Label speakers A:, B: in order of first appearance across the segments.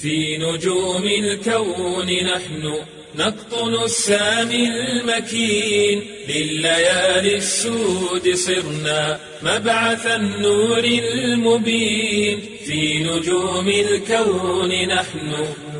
A: في نجوم الكون نحن نقطن السامي المكين، لليالي السود صرنا مبعث النور المبين. في نجوم الكون نحن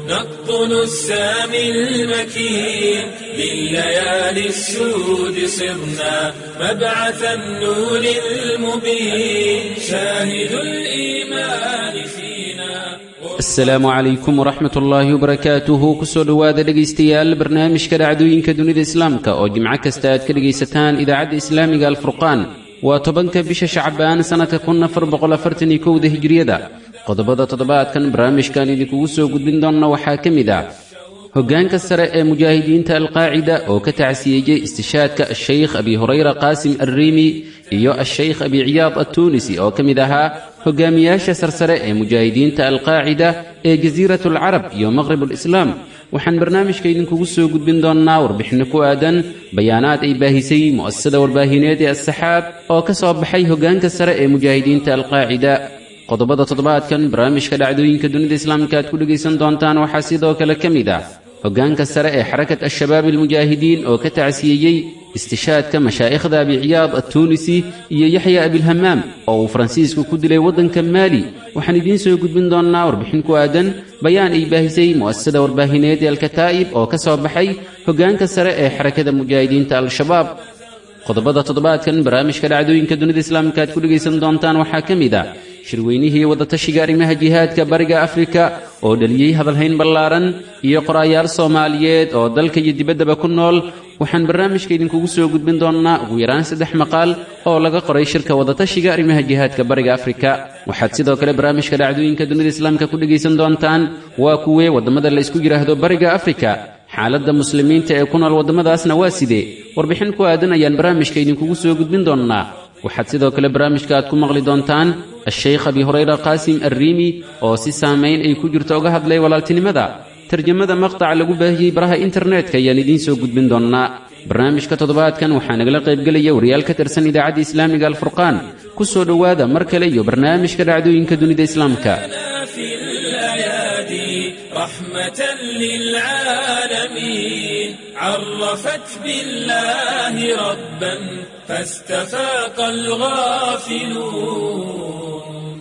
A: نقطن السامي المكين، لليالي السود صرنا مبعث النور المبين. شاهد الإيمان فينا.
B: Asalaamu calaykum waraxmat ullaahi wabarakaatuhu. Kusoo dhowaada dhegaystayaal barnaamijka dhacdooyinka dunida islaamka oo jimco kasta aad ka dhegaysataan idaacadda islaamiga Alfurqaan. Waa 10-ka bisha Shacbaan sannadka 1441-da hijriyada. Qodobada toddobaadkan barnaamijkan idinkugu soo gudbin doonna waxaa ka mid ah hoggaanka sare ee mujaahidiinta Alqaacida oo ka tacsiyeeyey istishaadka Ashaykh Abi Hurayra Qaasim Arriimi iyo Ashaykh Abi Ciyaad Attuunisi oo ka mid ahaa hogaamiyaasha sarsare ee mujaahidiinta Alqaacida ee Jasiirat Alcarab iyo Maqrib Alislaam. Waxaan barnaamijka idinkugu soo gudbin doonnaa warbixinno ku aadan bayaanaad ay baahisay mu'asasada warbaahineed ee Assaxaab oo ka soo baxay hoggaanka sare ee mujaahidiinta Alqaacida. Qodobada toddobaadkan barnaamijka dhacdooyinka dunida islaamka aad ku dhegaysan doontaan waxaa sidoo kale ka mid ah hoggaanka sare ee Xarakat Al-Shabaab Almujaahidiin oo ka tacsiyeeyey istishaadka mashaa'ikhda Abi Ciyaad Attuunisi iyo Yaxya Abilhamaam oo uu Faransiisku ku dilay waddanka Maali. Waxaan idiin soo gudbin doonnaa warbixin ku aadan bayaan ay baahisay mu'asasada warbaahineed ee Alkataa'ib oo ka soo baxay hoggaanka sare ee Xarakada Mujaahidiinta Al-Shabaab. Qodobada toddobaadkan barnaamijka dhacdooyinka dunida islaamka aad ku dhegaysan doontaan waxaa ka mid ah shirweynihii wadatashiga arrimaha jihaadka Bariga Afrika oo dhaliyey hadalhayn ballaaran iyo qoraayaal Soomaaliyeed oo dalka iyo dibaddaba ku nool. Waxaan barnaamijka idinkugu soo gudbin doonnaa ugu yaraan 3 maqaal oo laga qoray shirka wadatashiga arrimaha jihaadka Bariga Afrika. Waxaad sidoo kale barnaamijka dhacdooyinka dunida islaamka ku dhegaysan doontaan waa kuwee waddamada la isku yidhaahdo Bariga Afrika, xaaladda muslimiinta ee ku nool waddamadaasna waa sidee? Warbixin ku aadan ayaan barnaamijka idinkugu soo gudbin doonnaa. Waxaad sidoo kale barnaamijka aad ku maqli doontaan Ashaykh Abi Hurayra Qaasim Arriimi oo si saamayn ay ku jirto uga hadlay walaaltinimada. Tarjamada maqtac lagu baahiyey baraha internetka ayaan idiin soo gudbin doonnaa. Barnaamijka toddobaadkan waxaa nagala qaybgelaya wariyaal ka tirsan idaacadda islaamiga Alfurqaan. Ku soo dhowaada mar kale iyo barnaamijka dhacdooyinka dunida islaamka.
A: في الأيادي رحمة للعالمين، عرفت بالله ربا فاستفاق الغافلون.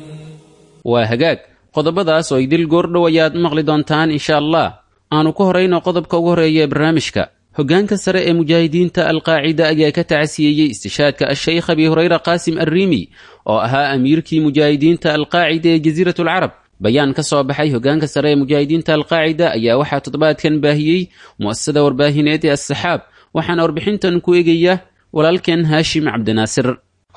B: Waa hagaag, qodobadaas oo idil goordhow ayaad maqli doontaan insha Allah. Aanu ku horayno qodobka ugu horreeya ee barnaamijka. Hoggaanka sare ee mujaahidiinta Alqaacida ayaa ka tacsiyeeyey istishaadka Ashaykh Abi Hurayra Qaasim Arriimi oo ahaa amiirkii mujaahidiinta Alqaacida ee Jasiirat Alcarab. Bayaan ka soo baxay hoggaanka sare ee mujaahidiinta Alqaacida ayaa waxaa toddobaadkan baahiyey mu'asasada warbaahineed ee Assaxaab, waxaana warbixintan ku eegaya walaalkeen Haashim Cabdinaasir.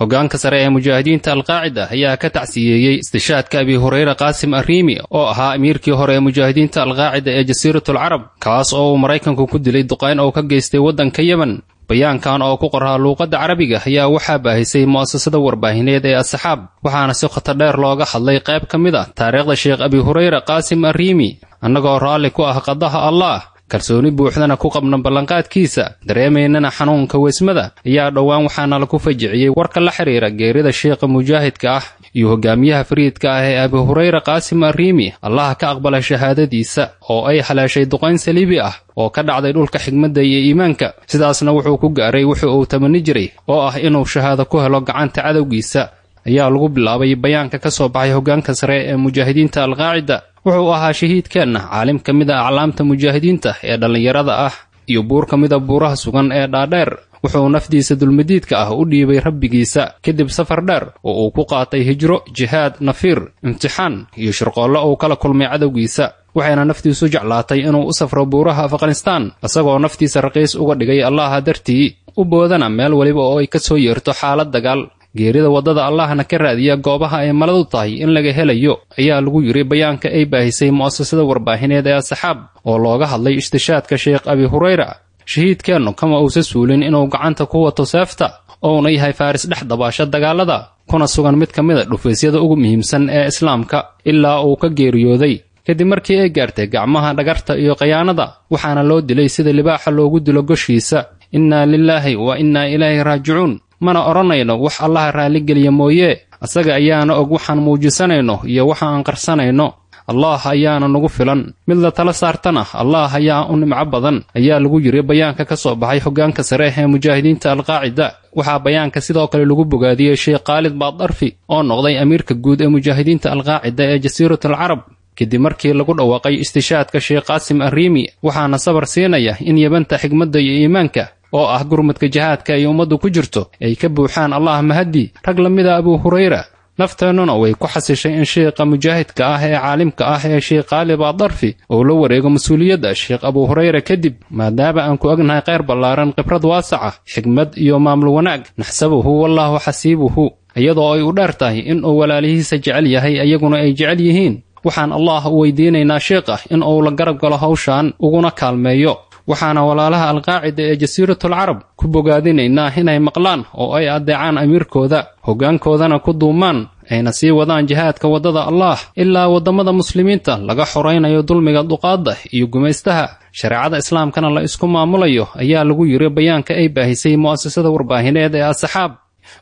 C: Hoggaanka sare ee mujaahidiinta Alqaacida ayaa ka tacsiyeeyey istishaadka Abi Hurayra Qaasim Arriimi oo ahaa amiirkii hore ee mujaahidiinta Alqaacida ee Jasiiratul Carab, kaas oo uu Maraykanku ku dilay duqayn oo ka geystay waddanka Yemen. Bayaankan oo ku qoraa luuqadda Carabiga ayaa waxaa baahisay mu'asasada warbaahineed ee Asxaab, waxaana si khatar dheer looga hadlay qayb ka mid ah taariikhda Sheekh Abi Hurayra Qaasim Arriimi. Annagoo raalli ku ah qadaha Allah, kalsooni buuxdana ku qabna ballanqaadkiisa, dareemaynana xanuunka weysmada, ayaa dhowaan waxaana lagu fajiciyey warka la xiriira geerida sheekha mujaahidka ah iyo hogaamiyaha fariidka ah ee Abi Hurayra Qaasim Arriimi, Allaha ka aqbala shahaadadiisa, oo ay haleeshay duqayn saliibi ah oo ka dhacday dhulka xigmadda iyo iimaanka. Sidaasna wuxuu ku gaaray wuxuu uu tamani jiray oo ah inuu shahaado ku helo gacanta cadowgiisa, ayaa lagu bilaabay bayaanka ka soo baxay hoggaanka sare ee mujaahidiinta Alqaacida. Wuxuu ahaa shahiidkeenna caalim ka mid a aclaamta mujaahidiinta ee dhallinyarada ah iyo buur ka mid a buuraha sugan ee dhaadheer. Wuxuu nafdiisa dulmadiidka ah u dhiibay rabbigiisa kadib safar dheer oo uu ku qaatay hijro, jihaad, nafiir, imtixaan iyo shirqoollo uu kala kulmay cadowgiisa. Waxayna naftiisu jeclaatay inuu u safro buuraha Afghanistaan, isagoo naftiisa raqiis uga dhigay Allaha dartii, u boodana meel weliba oo ay ka soo yeerto xaalad dagaal, geerida waddada Allahna ka raadiya goobaha ay maladu tahay in laga helayo, ayaa lagu yiri bayaanka ay baahisay mu'asasada warbaahineed ee Asxaab oo looga hadlay istishaadka Sheekh Abi Hurayra. Shahiidkeennu kama uusa suulin inuu gacanta ku wato seefta, ouna yahay faaris dhex dabaasha dagaalada, kuna sugan mid ka mid a dhufaysyada ugu muhiimsan ee islaamka ilaa uu ka geeriyooday kadib markii ay gaartay gacmaha dhagarta iyo khayaanada. Waxaana loo dilay sida libaaxa loogu dilo goshiisa. Innaa lilaahi wa innaa ilaahi raajicuun. Mana odhanayno wax Allaha raalligeliya mooyee, asaga ayaana og waxaan muujisanayno iyo waxa aan qarsanayno. Allah ayaana nagu filan, mid la tala saartana Allah ayaa u nimco badan, ayaa lagu yiri bayaanka ka soo baxay hoggaanka sare ee mujaahidiinta alqaacida. Waxaa bayaanka sidoo kale lagu bogaadiyey Sheekh Khaalid Baadarfi oo noqday amiirka guud ee mujaahidiinta alqaacida ee Jasiiratul Carab kadib markii lagu dhawaaqay istishaadka Sheekh Qaasim Arriimi. Waxaana sabar siinaya in yabanta xigmadda iyo iimaanka oo ah gurmadka jihaadka ay ummaddu ku jirto ay ka buuxaan Allah mahadi rag la mida Abu Hurayra. Nafteennuna way ku xasishay in sheekha mujaahidka ah ee caalimka ah ee Sheekh Khaalid Baadarfi uu la wareego mas-uuliyadda Sheekh Abu Hurayra kadib, maadaama aan ku ognahay kheyr ballaaran, khibrad waasaca, xigmad iyo maamul wanaag. Naxsabuhu wallaahu xasiibuhu, iyadoo ay u dheer tahay in uu walaalihiisa jecel yahay iyaguna ay jecel yihiin. Waxaan Allah u weydiinaynaa sheekha in uu la garab galo hawshan uguna kaalmeeyo. Waxaana walaalaha alqaacida ee Jasiiratul Carab ku bogaadinaynaa inay maqlaan oo ay adeecaan amiirkooda, hoggaankoodana ku duumaan, ayna sii wadaan jihaadka waddada Allah ilaa waddamada muslimiinta laga xoraynayo dulmiga duqaadda iyo gumaystaha, shareecada islaamkana la isku maamulayo, ayaa lagu yiri bayaanka ay baahisay mu'asasada warbaahineed ee Asxaab.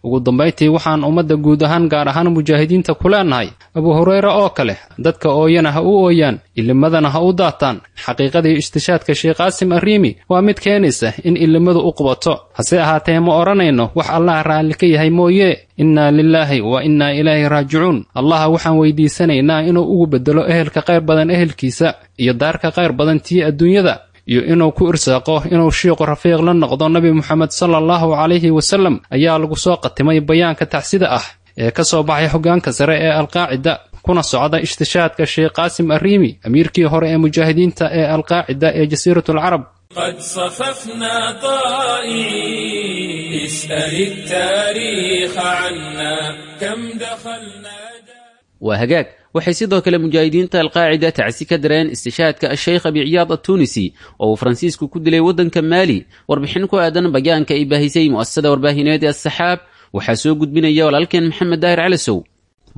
C: Ugu dambayntii, waxaan ummadda guud ahaan, gaar ahaan mujaahidiinta ku leenahay Abu Hurayra oo kale dadka ooyana ha u ooyaan, ilimadana ha u daataan. Xaqiiqadii istishaadka Sheekh Qaasim Arriimi waa mid keenaysa in ilimadu u qubato, hase ahaatee ma odhanayno wax Allah raalli ka yahay mooye. Innaa lilaahi wa innaa ilaahi raajicuun. Allah waxaan weydiisanaynaa inuu ugu beddelo ehelka khayr badan ehelkiisa iyo daarka khayr badan tii adduunyada, iyo inuu ku irsaaqo inuu shiiqu rafiiq la noqdo Nabi Muxamed sala allahu calayhi wasallam, ayaa lagu soo qatimay bayaanka tacsida ah ee ka soo baxay hoggaanka sare ee alqaacida kuna socda istishaadka Sheekh Qaasim Arriimi, amiirkii hore ee mujaahidiinta ee alqaacida ee Jasiiratul Carab.
A: قد صففنا طائعين، اسأل التاريخ عنا كم دخلنا.
B: Waa hagaag. Waxay sidoo kale mujaahidiinta alqaacida tacsi ka dareen istishaadka asheykh Abi Ciyaad attuunisi oo uu Faransiisku ku dilay waddanka Maali. Warbixin ku aadan bayaanka ay baahisay mu'asasada warbaahineed ee Asaxaab waxaa soo gudbinaya walaalkeen Maxamed Daahir Calasow.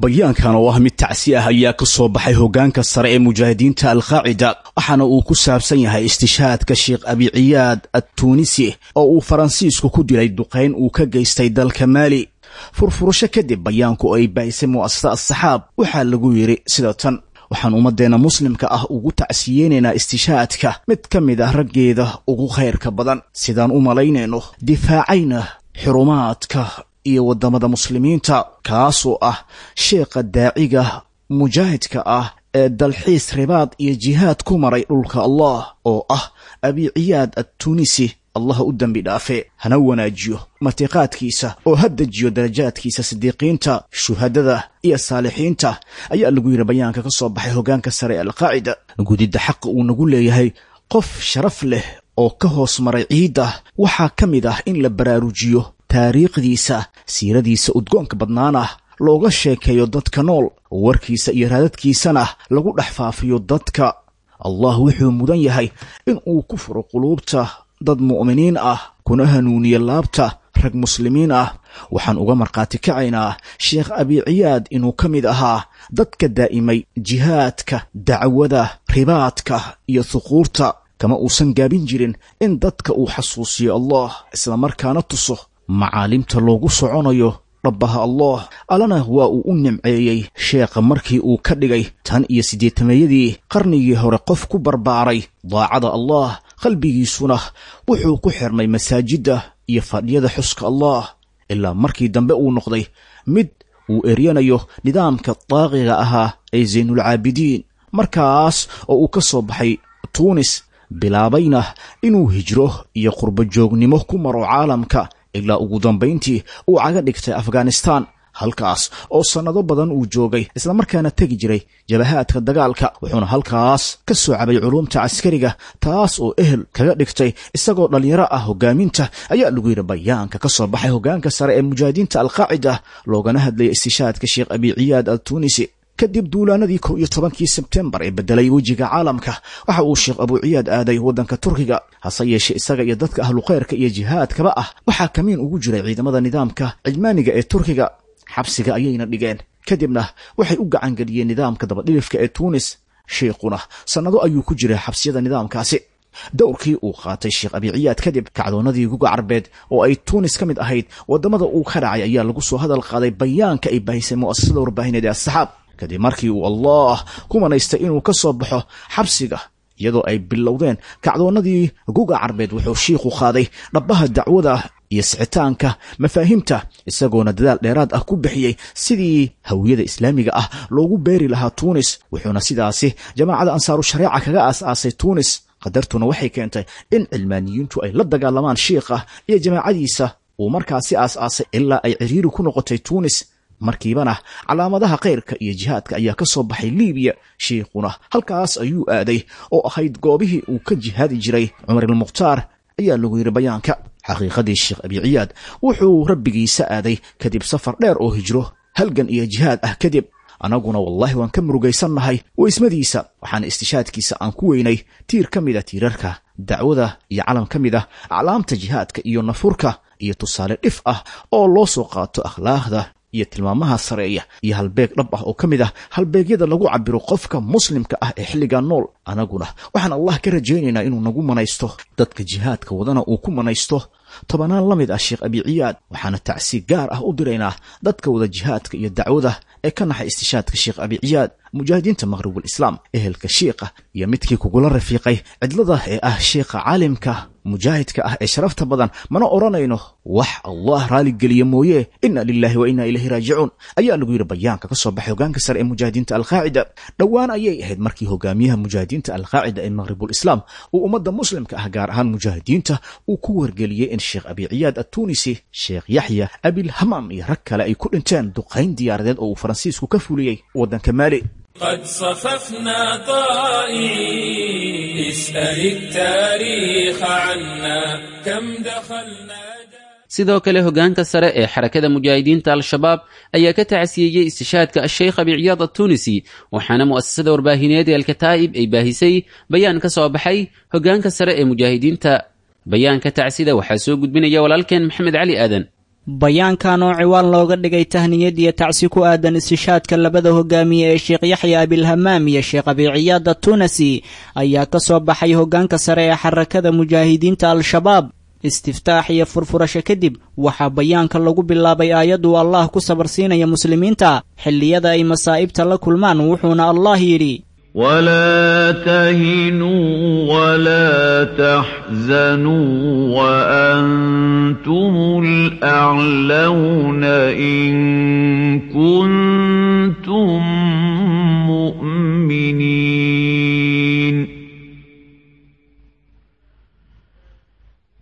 D: Bayaankan oo ah mid tacsi ah ayaa ka soo baxay hoggaanka sare ee mujaahidiinta alqaacida, waxaana uu ku saabsan yahay istishaadka Sheekh Abi Ciyaad attuunisi oo uu Faransiisku ku dilay duqayn uu ka geystay dalka Maali. Furfurasho kadib bayaanku ay baahisay mu'asasada Asaxaab waxaa lagu yidhi sida tan: waxaan ummadeenna muslimka ah ugu tacsiyeynaynaa istishaadka mid ka mid ah raggeeda ugu khayrka badan, sidaan u malaynayno difaacayna xurumaadka iyo waddamada muslimiinta, kaasoo ah sheekha daaciga mujaahidka ah ee dalxiis, ribaad iyo jihaad ku maray dhulka Allah, oo ah Abi Ciyaad attuunisi. Allah u dembi dhaafe, hana wanaajiyo matiqaadkiisa, oo ha dejiyo darajaadkiisa sidiiqiinta, shuhadada iyo saalixiinta, ayaa lagu yidhi bayaanka ka soo baxay hoggaanka sare ee alqaacida. Gudidda xaqa uu nagu leeyahay qof sharaf leh oo ka hoos maray ciidda waxaa ka mid ah in la baraarujiyo taariikhdiisa, siiradiisa udgoonka badnaana looga sheekeeyo dadka nool, warkiisa iyo raadadkiisana lagu dhex faafiyo dadka. Allah wuxuu mudan yahay in uu ku furo quluubta dad mu'miniin ah, kuna hanuuniye laabta rag muslimiin ah. Waxaan uga markhaati kacaynaa Sheekh Abi Ciyaad inuu ka mid ahaa dadka daa'imay jihaadka, dacwada, ribaadka iyo huquurta. Kama uusan gaabin jirin in dadka uu xasuusiyo Allah, islamarkaana tuso macaalimta loogu soconayo dhabbaha Allah. Allana waa uu u nimceeyey sheekha markii uu ka dhigay tan iyo siddeetameeyadii qarnigii hore qof ku barbaaray daacada Allah, qalbigiisuna wuxuu ku xirmay masaajidda iyo fadhiyada xuska Allah, ilaa markii dambe uu noqday mid uu eryanayo nidaamka daaqiga ahaa ee Zaynulcaabidiin, markaas oo uu ka soo baxay Tuunis, bilaabayna inuu hijro iyo qurbo joognimo ku maro caalamka, ilaa ugu dambayntii uu caga dhigtay Afghanistan, halkaas oo sannado badan uu joogay, islamarkaana tegi jiray jabahaadka dagaalka. Wuxuuna halkaas ka soo cabay culuumta caskariga, taas oo ehel kaga dhigtay isagoo dhallinyaro ah hogaaminta, ayaa lagu yidhi bayaanka ka soo baxay hoggaanka sare ee mujaahidiinta alqaacida, loogana hadlayay istishaadka Sheekh Abi Ciyaad al Tuunisi. Kadib duulaanadii 11-kii Sebtembar ee bedelay wejiga caalamka, waxa uu Sheekh Abu Ciyaad aaday waddanka Turkiga. Hase yeeshee isaga iyo dadka ahlukhayrka iyo jihaadkaba ah waxaa kamiin ugu jiray ciidamada nidaamka cijmaaniga ee Turkiga, xabsiga ayayna dhigeen, kadibna waxay u gacangeliyeen nidaamka dabadhilifka ee Tuunis. Sheikhuna sannado ayuu ku jiray xabsiyada nidaamkaasi. Dowrkii uu qaatay Sheekh Abi Ciyaad kadib kacdoonadii Guga Carbeed oo ay Tuunis ka mid ahayd waddamada uu ka dhacay, ayaa lagu soo hadal qaaday bayaanka ay baahisay mu'asasada warbaahineed ee Asaxaab. Kadib markii uu Allah ku manaystay inuu ka soo baxo xabsiga, iyadoo ay bilowdeen kacdoonnadii guga carbeed, wuxuu shiikhu qaaday dhabbaha dacwada iyo sicitaanka mafaahiimta, isagoona dadaal dheeraad ah ku bixiyey sidii hawiyada islaamiga ah loogu beeri lahaa Tuunis. Wuxuuna sidaasi jamaacada Ansaaru Shareeca kaga aas-aasay Tuunis. Qadartuna waxay keentay in cilmaaniyiintu ay la dagaalamaan shiikha iyo jamaacadiisa uu markaasi aas-aasay, ilaa ay ciriiri ku noqotay Tuunis. Markiibana calaamadaha khayrka iyo jihaadka ayaa ka soo baxay Liibiya, shiikhuna halkaas ayuu aaday oo ahayd goobihii uu ka jihaadi jiray Cumar ilmukhtaar, ayaa lagu yidhi bayaanka. Xaqiiqadii, Sheekh Abi Ciyaad wuxuu rabbigiisa aaday kadib safar dheer oo hijro, halgan iyo jihaad ah kadib. Anaguna wallaahi waan ka murugaysannahay weysmadiisa, waxaana istishaadkiisa aan ku weynay tiir ka mid a tiirarka dacwada iyo calam ka mid ah aclaamta jihaadka iyo nafurka, iyo tusaale dhif ah oo loo soo qaato akhlaaqda iyo tilmaamaha sareeya, iyo halbeeg dhab ah oo ka mid ah halbeegyada lagu cabiro qofka muslimka ah ee xilligaa nool. Anaguna waxaan Allah ka rajaynaynaa inuu nagu manaysto, dadka jihaadka wadana uu ku manaysto tobanaan la mid ah Sheekh Abi Ciyaad. Waxaana tacsi gaar ah u diraynaa dadka wada jihaadka iyo dacwada ee ka naxay istishaadka Sheekh Abi Ciyaad, mujaahidiinta Maqhribul Islaam, ehelka shiikha iyo midkii kugula rafiiqay cidlada ee ah shiikha caalimka mujaahidka ah ee sharafta badan. Mana odhanayno wax Allah raaligeliya mooye. Inna lilahi wa inna ilayhi raajicuun, ayaa lagu yidhi bayaanka ka soo baxay hogaanka sare ee mujaahidiinta Alqaacida. Dhowaan ayay ahayd markii hogaamiyaha mujaahidiinta Alqaacida ee Maqhribul Islaam uu ummadda muslimka ah, gaar ahaan mujaahidiinta, uu ku wargeliyey in Sheekh Abi Ciyaad Attuunisi, Sheekh Yaxya Abilhamaam iyo rag kale ay ku dhinteen duqayn diyaaradeed oo uu Faransiisku ka fuliyey waddanka Maali.
A: قد صففنا طائعين، اسأل التاريخ عنا كم دخلنا.
B: Sidoo kale, hoggaanka sare ee Xarakada Mujaahidiinta Al-Shabaab ayaa ka tacsiyeeyey istishaadka Asheykh Abi Ciyaad Attuunisi, waxaana mu'asasada warbaahineed ee Alkataa'ib ay baahisay bayaan ka soo baxay hoggaanka sare ee mujaahidiinta. Bayaanka tacsida waxaa soo gudbinaya walaalkeen Maxamed Cali Aadan.
E: Bayaankan oo ciwaan looga dhigay tahniyad iyo tacsi ku aadan istishaadka labada hogaamiye ee Sheekh Yaxya Abilhamaam iyo Sheekh Abi Ciyaad Attuunasi ayaa ka soo baxay hoggaanka sare ee Xarakada Mujaahidiinta Al-Shabaab. Istiftaax iyo furfurasho kadib, waxaa bayaanka lagu bilaabay aayaduu Allah ku sabarsiinaya muslimiinta xilliyada ay masaa'ibta la kulmaan, wuxuuna Allah yidhi:
F: ولا تهنوا ولا تحزنوا وأنتم الأعلون إن كنتم مؤمنين.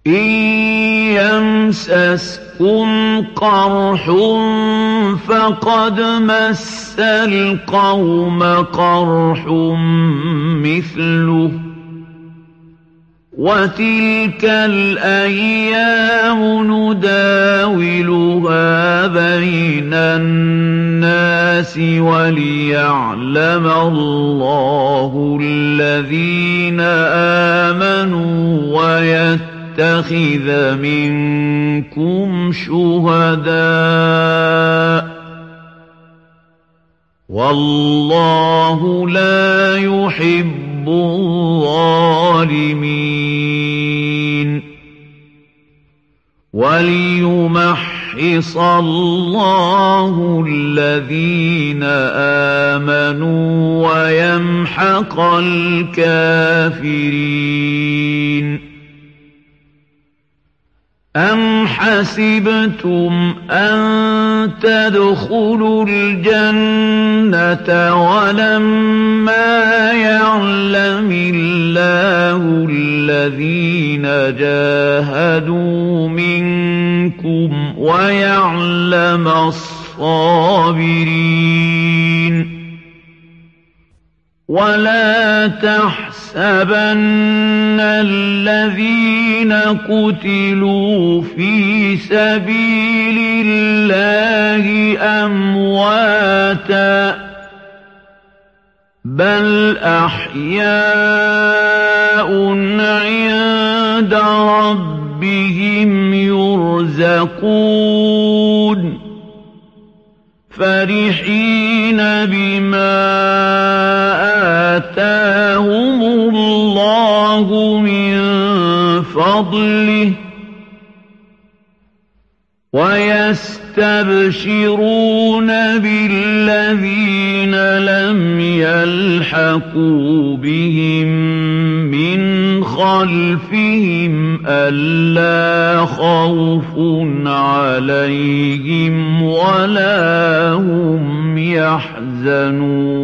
F: إن يمسسكم قرح فقد مس القوم قرح مثله، وتلك الأيام نداولها بين الناس وليعلم الله الذين آمنوا ويتخذ منكم شهداء، والله لا يحب الظالمين. وليمحص الله الذين آمنوا ويمحق الكافرين. أم حسبتم أن تدخلوا الجنة ولما يعلم الله الذين جاهدوا منكم ويعلم الصابرين؟ ولا تحسبن الذين قتلوا في سبيل الله أمواتا، بل أحياء عند ربهم يرزقون، فرحين بما آتاهم الله من فضله، يستبشرون بالذين لم يلحقوا بهم من خلفهم ألا خوف عليهم ولا هم يحزنون.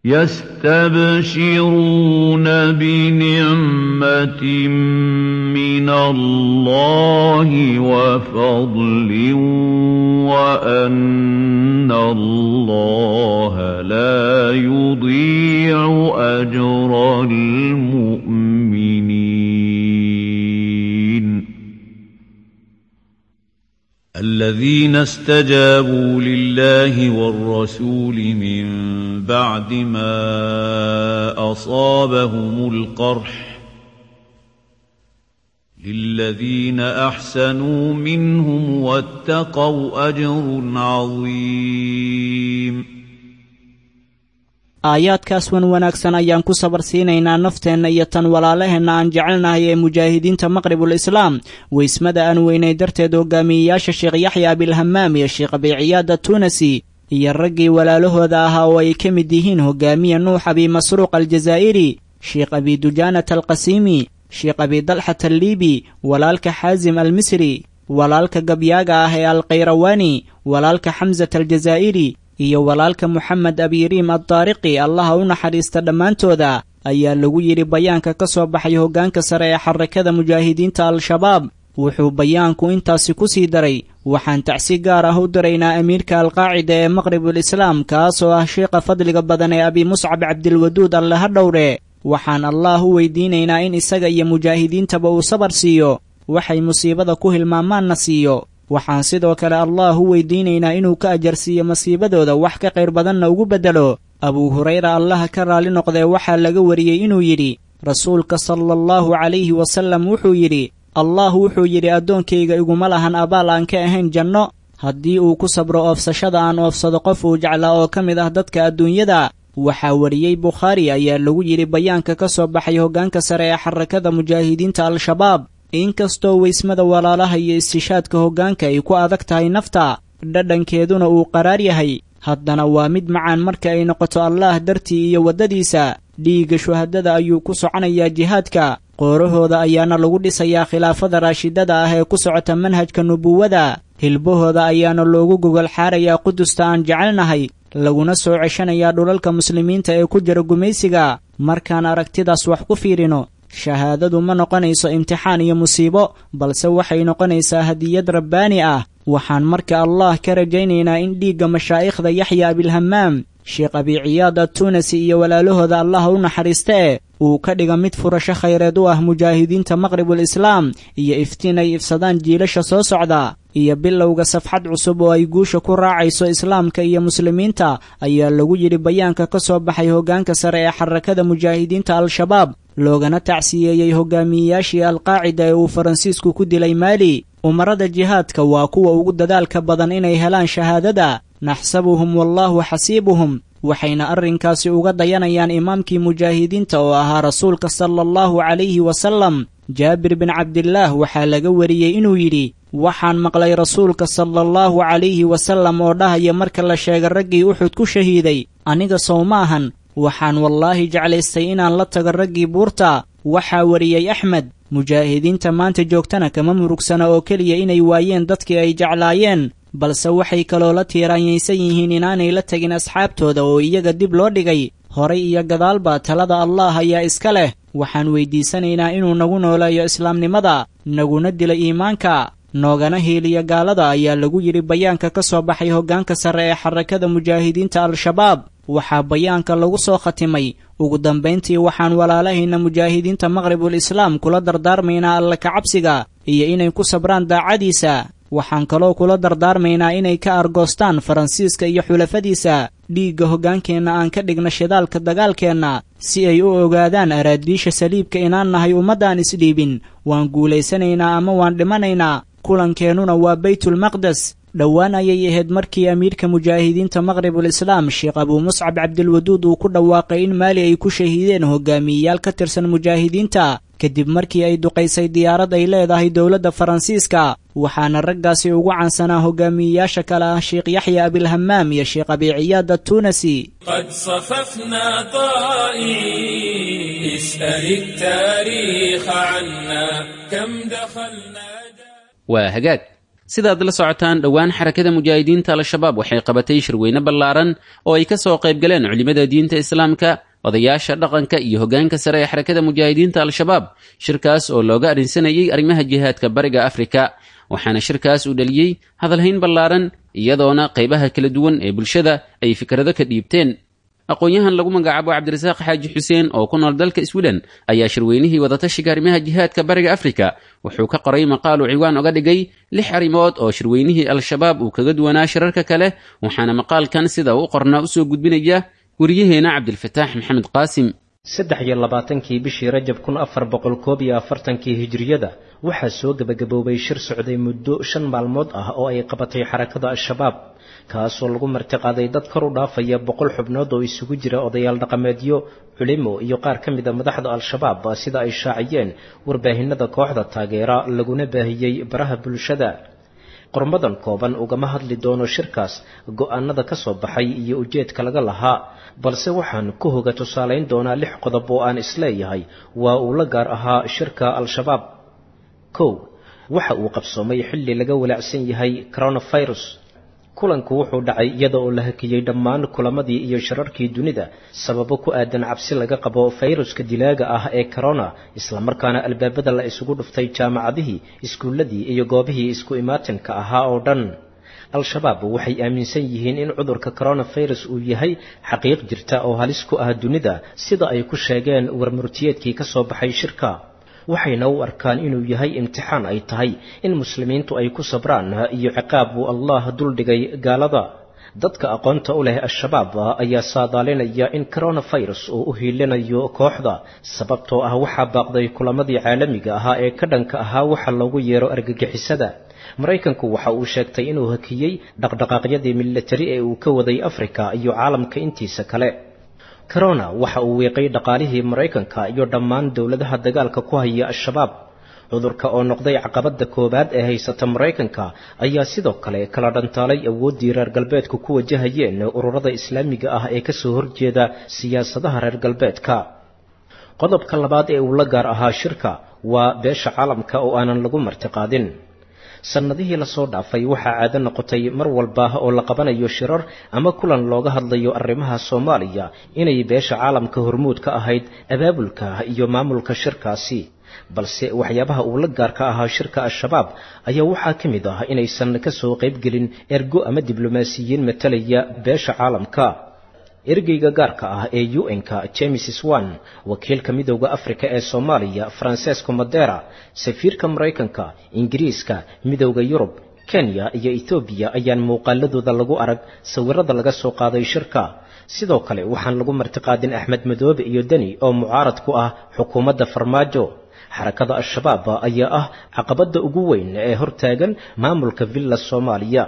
F: يستبشرون بنعمة من الله وفضل وأن الله لا يضيع أجر المؤمنين.
G: الذين استجابوا لله والرسول من بعد ما أصابهم القرح للذين أحسنوا منهم واتقوا أجر عظيم.
E: Aayaadkaas wan wanaagsan ayaan ku sabar siinaynaa nafteenna iyo tan walaalaheenna aan jecelnahay ee mujaahidiinta maqribul islaam. Weysmada aan weynay darteed hogaamiyeyaasha Sheekh Yaxya Abilhamaam iyo Sheekh Abiciyaad Tunasi iyo raggii walaalahooda ahaa oo ay ka mid yihiin hogaamiye Nuux Abi Masruuq Aljazaa'iri, Sheekh Abi Dujaanat Alqasiimi, Sheekh Abi Dalxat Alliibi, walaalka Xaasim Almisri, walaalka gabyaaga ah ee Alkhayrawaani, walaalka Xamsat Aljazaa'iri iyo walaalka Moxamed Abiriim Addaariqi, allaha u naxariista dhammaantooda, ayaa lagu yidhi bayaanka ka soo baxay hoggaanka sare ee xarakada mujaahidiinta Al-Shabaab. Wuxuu bayaanku intaasi ku sii daray: waxaan tacsi gaar ah u diraynaa amiirka Alqaacida ee Maqribul Islaam, kaasoo ah sheekha fadliga badan ee Abi Muscab Cabdilwaduud, alle ha dhowre. Waxaan allaah u weydiinaynaa in isaga iyo mujaahidiintaba uu sabar siiyo, waxay musiibada ku hilmaamaanna siiyo. Waxaan sidoo kale allaah u weydiinaynaa inuu ka ajarsiiyo masiibadooda, wax ka qayr badanna ugu beddelo. Abuu Hurayra, allaha ka raali noqdee, waxaa laga wariyey inuu yidhi: Rasuulka sala allahu calayhi wasallam wuxuu yidhi, Allah wuxuu yidhi, addoonkayga iguma lahan abaal aan ka ahayn janno haddii uu ku sabro oofsashada aan oofsado qof uu jeclaa oo ka mid ah dadka adduunyada. Waxaa wariyey Bukhaari, ayaa lagu yidhi bayaanka ka soo baxay hoggaanka sare ee xarakada mujaahidiinta Al-Shabaab. Inkastoo weysmada walaalaha iyo istishaadka hoggaanka ay ku adag tahay nafta, dhadhankeeduna uu qaraar yahay, haddana waa mid macaan marka ay noqoto allaah dartii iyo waddadiisa. Dhiigga shuhadada ayuu ku soconayaa jihaadka, qoorahooda ayaana lagu dhisayaa khilaafada raashidada ah ee ku socota manhajka nubuwada, hilbahooda ayaana loogu gogol xaarayaa Qudusta aan jecelnahay, laguna soo ceshanayaa dhulalka muslimiinta ee ku jira gumaysiga. Markaan aragtidaas wax ku fiirino, shahaadadu ma noqonayso imtixaan iyo musiibo, balse waxay noqonaysaa hadiyad rabbaani ah. Waxaan marka allah ka rajaynaynaa in dhiigga mashaa'ikhda Yaxya Abilhamaam, Sheekh Abiciyaad Attunasi iyo walaalahooda, allah u naxariista e, uu ka dhiga mid furasho khayreed u ah mujaahidiinta Maqribul Islaam iyo iftiin ay ifsadaan jiilasha soo socda iyo bilowga safxad cusub oo ay guusha ku raacayso islaamka iyo muslimiinta, ayaa lagu yidhi bayaanka ka soo baxay hoggaanka sare ee xarakada mujaahidiinta Al-Shabaab, loogana tacsiyeeyey hogaamiyeyaashii Alqaacida ee uu Faransiisku ku dilay Maali. Umarada jihaadka waa kuwa ugu dadaalka badan inay helaan shahaadada. Naxsabuhum wallaahu xasiibuhum. Waxayna arrinkaasi uga dayanayaan imaamkii mujaahidiinta oo ahaa Rasuulka sala allahu calayhi wasalam. Jaabir bin Cabdillaah waxaa laga wariyey inuu yidhi: waxaan maqlay Rasuulka sala allahu calayhi wasalam oo dhahaya marka la sheega raggii Uxud ku shahiiday: aniga sow maahan, waxaan wallaahi jeclaystay inaan la tago raggii buurta. Waxaa wariyey Axmed. Mujaahidiinta maanta joogtana kama murugsana oo keliya inay waayeen dadkii ay jeclaayeen, balse waxay kaloo la tiiraanyaysan yihiin inaanay la tegin asxaabtooda oo iyaga dib loo dhigay. Horay iyo gadaalba talada allaah ayaa iska leh. Waxaan weydiisanaynaa inuu nagu nooleeyo islaamnimada, naguna dilo iimaanka, noogana hiiliyo gaalada, ayaa lagu yidhi bayaanka ka soo baxay hoggaanka sare ee xarakada mujaahidiinta Al-Shabaab. Waxaa bayaanka lagu soo khatimay: ugu dambayntii, waxaan walaalahayna mujaahidiinta Maqribul Islaam kula dardaarmaynaa alla kacabsiga iyo inay ku sabraan daacadiisa. Waxaan kaloo kula dardaarmaynaa inay ka argoostaan Faransiiska iyo xulafadiisa. Dhiigga hoggaankeenna aan ka dhigna shidaalka dagaalkeenna, si ay u ogaadaan araadiisha saliibka inaan nahay ummaddaan isdhiibin. Waan guulaysanaynaa ama waan dhimanaynaa, kulankeenuna waa Baytulmaqdes. Dhowaan ayay ahayd markii amiirka mujaahidiinta Maqribul Islaam Sheekh Abuu Muscab Cabdilwaduud uu ku dhawaaqay in Maali ay ku shahiideen hogaamiyeyaal ka tirsan mujaahidiinta kadib markii ay duqaysay diyaarad ay leedahay dowladda Faransiiska, waxaana raggaasi ugu caansanaa hogaamiyeyaasha kale ah Sheekh Yaxya Abilhamaam iyo Sheekh Abi Ciyaad Attuunasi.
A: قد صففنا طائعين، اسأل التاريخ عنا كم دخلنا.
B: Waa hagaag, sidaad la socotaan, dhowaan Xarakada Mujaahidiinta Al-Shabaab waxay qabatay shirweyne ballaaran oo ay ka soo qayb galeen culimmada diinta Islaamka, odayaasha dhaqanka iyo hoggaanka sare ee Xarakada Mujaahidiinta Al-Shabaab, shirkaas oo looga arrinsanayay arrimaha jihaadka Bariga Afrika. Waxaana shirkaas uu dhaliyey hadalhayn ballaaran, iyadoona qaybaha kala duwan ee bulshada ay fikrado ka dhiibteen. Aqoon-yahan lagu magacaabo Cabdirasaaq Xaaji Xuseen oo ku nool dalka Sweden ayaa shirweynihii wadatashiga arrimaha jihaadka Bariga Afrika wuxuu ka qoray maqaal uu ciwaan oga dhigay 6 arrimood oo shirweynihii Al-Shabaab uu kaga duwanaa shirarka kale. Waxaana maqaalkan sida uu u qornaa usoo gudbinaya wariyaheena Cabdilfataax Maxamed Qaasim.
H: 23-kii bishii Rajab 1441-kii Hijriyada waxaa soo gebagaboobay shir socday muddo 5 maalmood ah oo ay qabatay Xarakada Al-Shabaab, kaasoo lagu martiqaaday dad kor u dhaafaya 100 xubnood oo isugu jira odayaal dhaqameedyo, culimo iyo qaar ka mida madaxda Al-Shabaab, sida ay shaaciyeen warbaahinada kooxda taageera laguna baahiyey baraha bulshada. Qormadan kooban ugama hadli doono shirkaas, go'aanada ka soo baxay iyo ujeedka laga lahaa, balse waxaan ku hoga tusaalayn doonaa 6 qodob oo aan isleeyahay waa uu la gaar ahaa shirka Al-Shabaab. 1, waxa uu qabsoomay xilli laga walaacsan yahay coronavirus. Kulanku wuxuu dhacay iyada oo la hakiyey dhammaan kulamadii iyo shirarkii dunida sababo ku aadan cabsi laga qabo fayruska dilaaga ah ee corona, islamarkaana albaabada la isugu dhuftay jaamacadihii, iskuulladii iyo goobihii isku imaatinka ahaa oo dhan. Al-Shabaab waxay aaminsan yihiin in cudurka coronavirus uu yahay xaqiiq jirta oo halis ku ah dunida, sida ay ku sheegeen warmurtiyeedkii ka soo baxay shirka, waxayna u arkaan inuu yahay imtixaan ay tahay in muslimiintu ay ku sabraan iyo ciqaab uu Allah duldhigay gaalada. Dadka aqoonta u leh Al-Shabaab ayaa saadaalinaya in coronavirus uu u hiilinayo kooxda, sababtoo ah waxaa baaqday kulamadii caalamiga ahaa ee ka dhanka ahaa waxa loogu yeero argagixisada. Maraykanku waxa uu sheegtay inuu hakiyey dhaqdhaqaaqyadii militari ee uu ka waday Afrika iyo caalamka intiisa kale. Corona waxa uu wiiqay dhaqaalihii Maraykanka iyo dhammaan dowladaha dagaalka ku haya Al-Shabaab. Cudurka oo noqday caqabadda koowaad ee haysata Maraykanka ayaa sidoo kale kala dhantaalay awooddii reer galbeedku ku wajahayeen ururada Islaamiga ah ee kasoo horjeeda siyaasadaha reer galbeedka. Qodobka labaad ee uu la gaar ahaa shirka waa beesha caalamka oo aanan lagu martiqaadin. Sannadihii lasoo dhaafay waxaa caado noqotay mar walba oo la qabanayo shirar ama kulan looga hadlayo arrimaha Soomaaliya inay beesha caalamka hormuud ka ahayd abaabulka iyo maamulka shirkaasi, balse waxyaabaha uu la gaarka ahaa shirka Al-Shabaab ayaa waxaa ka mid ah inaysan ka soo qaybgelin ergo ama diblomaasiyiin matalaya beesha caalamka. Ergeyga gaarka ah ee UN-ka James Swan, wakiilka Midowda Afrika ee Soomaaliya Francesco Madera, safiirka Maraykanka, Ingiriiska, Midowda Yurub, Kenya iyo Etoobiya ayaan muuqaaladooda lagu arag sawirada laga soo qaaday shirka. Sidoo kale waxaan lagu martiqaadin Axmed Madoobe iyo Deni oo mucaarad ku ah xukuumadda Farmaajo. Xarakada Al-Shabaab ayaa ah caqabadda ugu weyn ee hortaagan maamulka Villa Soomaaliya.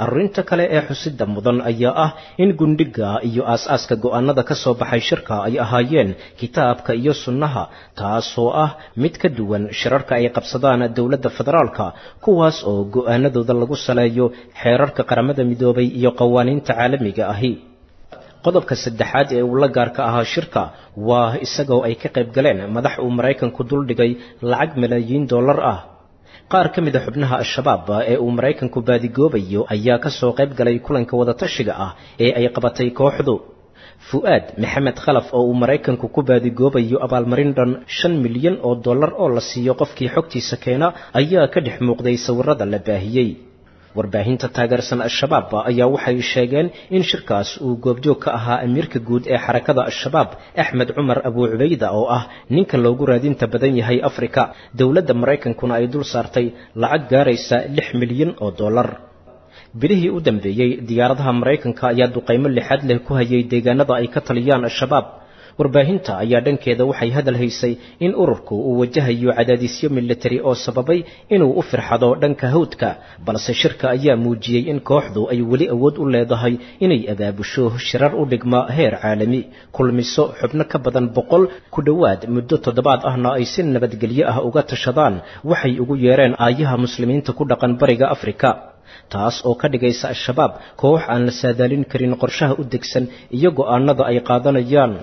H: Arrinta kale ee xusida mudan ayaa ah in gundhiga iyo aas-aaska go'aanada ka soo baxay shirka ay ahaayeen kitaabka iyo sunnaha, taasoo ah mid ka duwan shirarka ay qabsadaan dowladda federaalka, kuwaas oo go'aanadooda lagu saleeyo xeerarka Qaramada Midoobay iyo qawaaniinta caalamiga ahi. Qodobka saddexaad ee uu la gaarka ahaa shirka waa isagoo ay ka qayb galeen madax uu Maraykanku duldhigay lacag malaayiin dollar ah. Qaar ka mid a xubnaha Al-Shabaab ee uu Maraykanku baadigoobayo ayaa ka soo qayb galay kulanka wadatashiga ah ee ay qabatay kooxdu. Fu'aad Maxamed Khalaf oo uu Maraykanku ku baadigoobayo abaalmarin dhan 5 milyan oo dollar oo la siiyo qofkii xogtiisa keena ayaa ka dhex muuqday sawirada la baahiyey. Warbaahinta taageersan Al-Shabaab ayaa waxay sheegeen in shirkaas uu goobjoog ka ahaa amiirka guud ee Xarakada Al-Shabaab Axmed Cumar Abu Cubayda, oo ah ninka loogu raadinta badan yahay Afrika, dowladda Maraykankuna ay dul saartay lacag gaaraysa 6 milyan oo dollar. Bilihii u dambeeyey diyaaradaha Maraykanka ayaa duqaymo lixaad leh ku hayay deegaanada ay ka taliyaan Al-Shabaab. Warbaahinta ayaa dhankeeda waxay hadal haysay in ururku uu wajahayo cadaadisyo militari oo sababay inuu u firxado dhanka hawdka, balse shirka ayaa muujiyey in kooxdu ay weli awood u leedahay inay abaabusho shirar u dhigma heer caalami, kulmiso xubno ka badan 100 ku dhowaad muddo toddobaad ahna ay si nabadgelyo ah uga tashadaan waxay ugu yeereen aayaha muslimiinta ku dhaqan bariga Afrika, taas oo ka dhigaysa Al-Shabaab koox aan la saadaalin karin qorshaha u degsan iyo go'aanada ay qaadanayaan.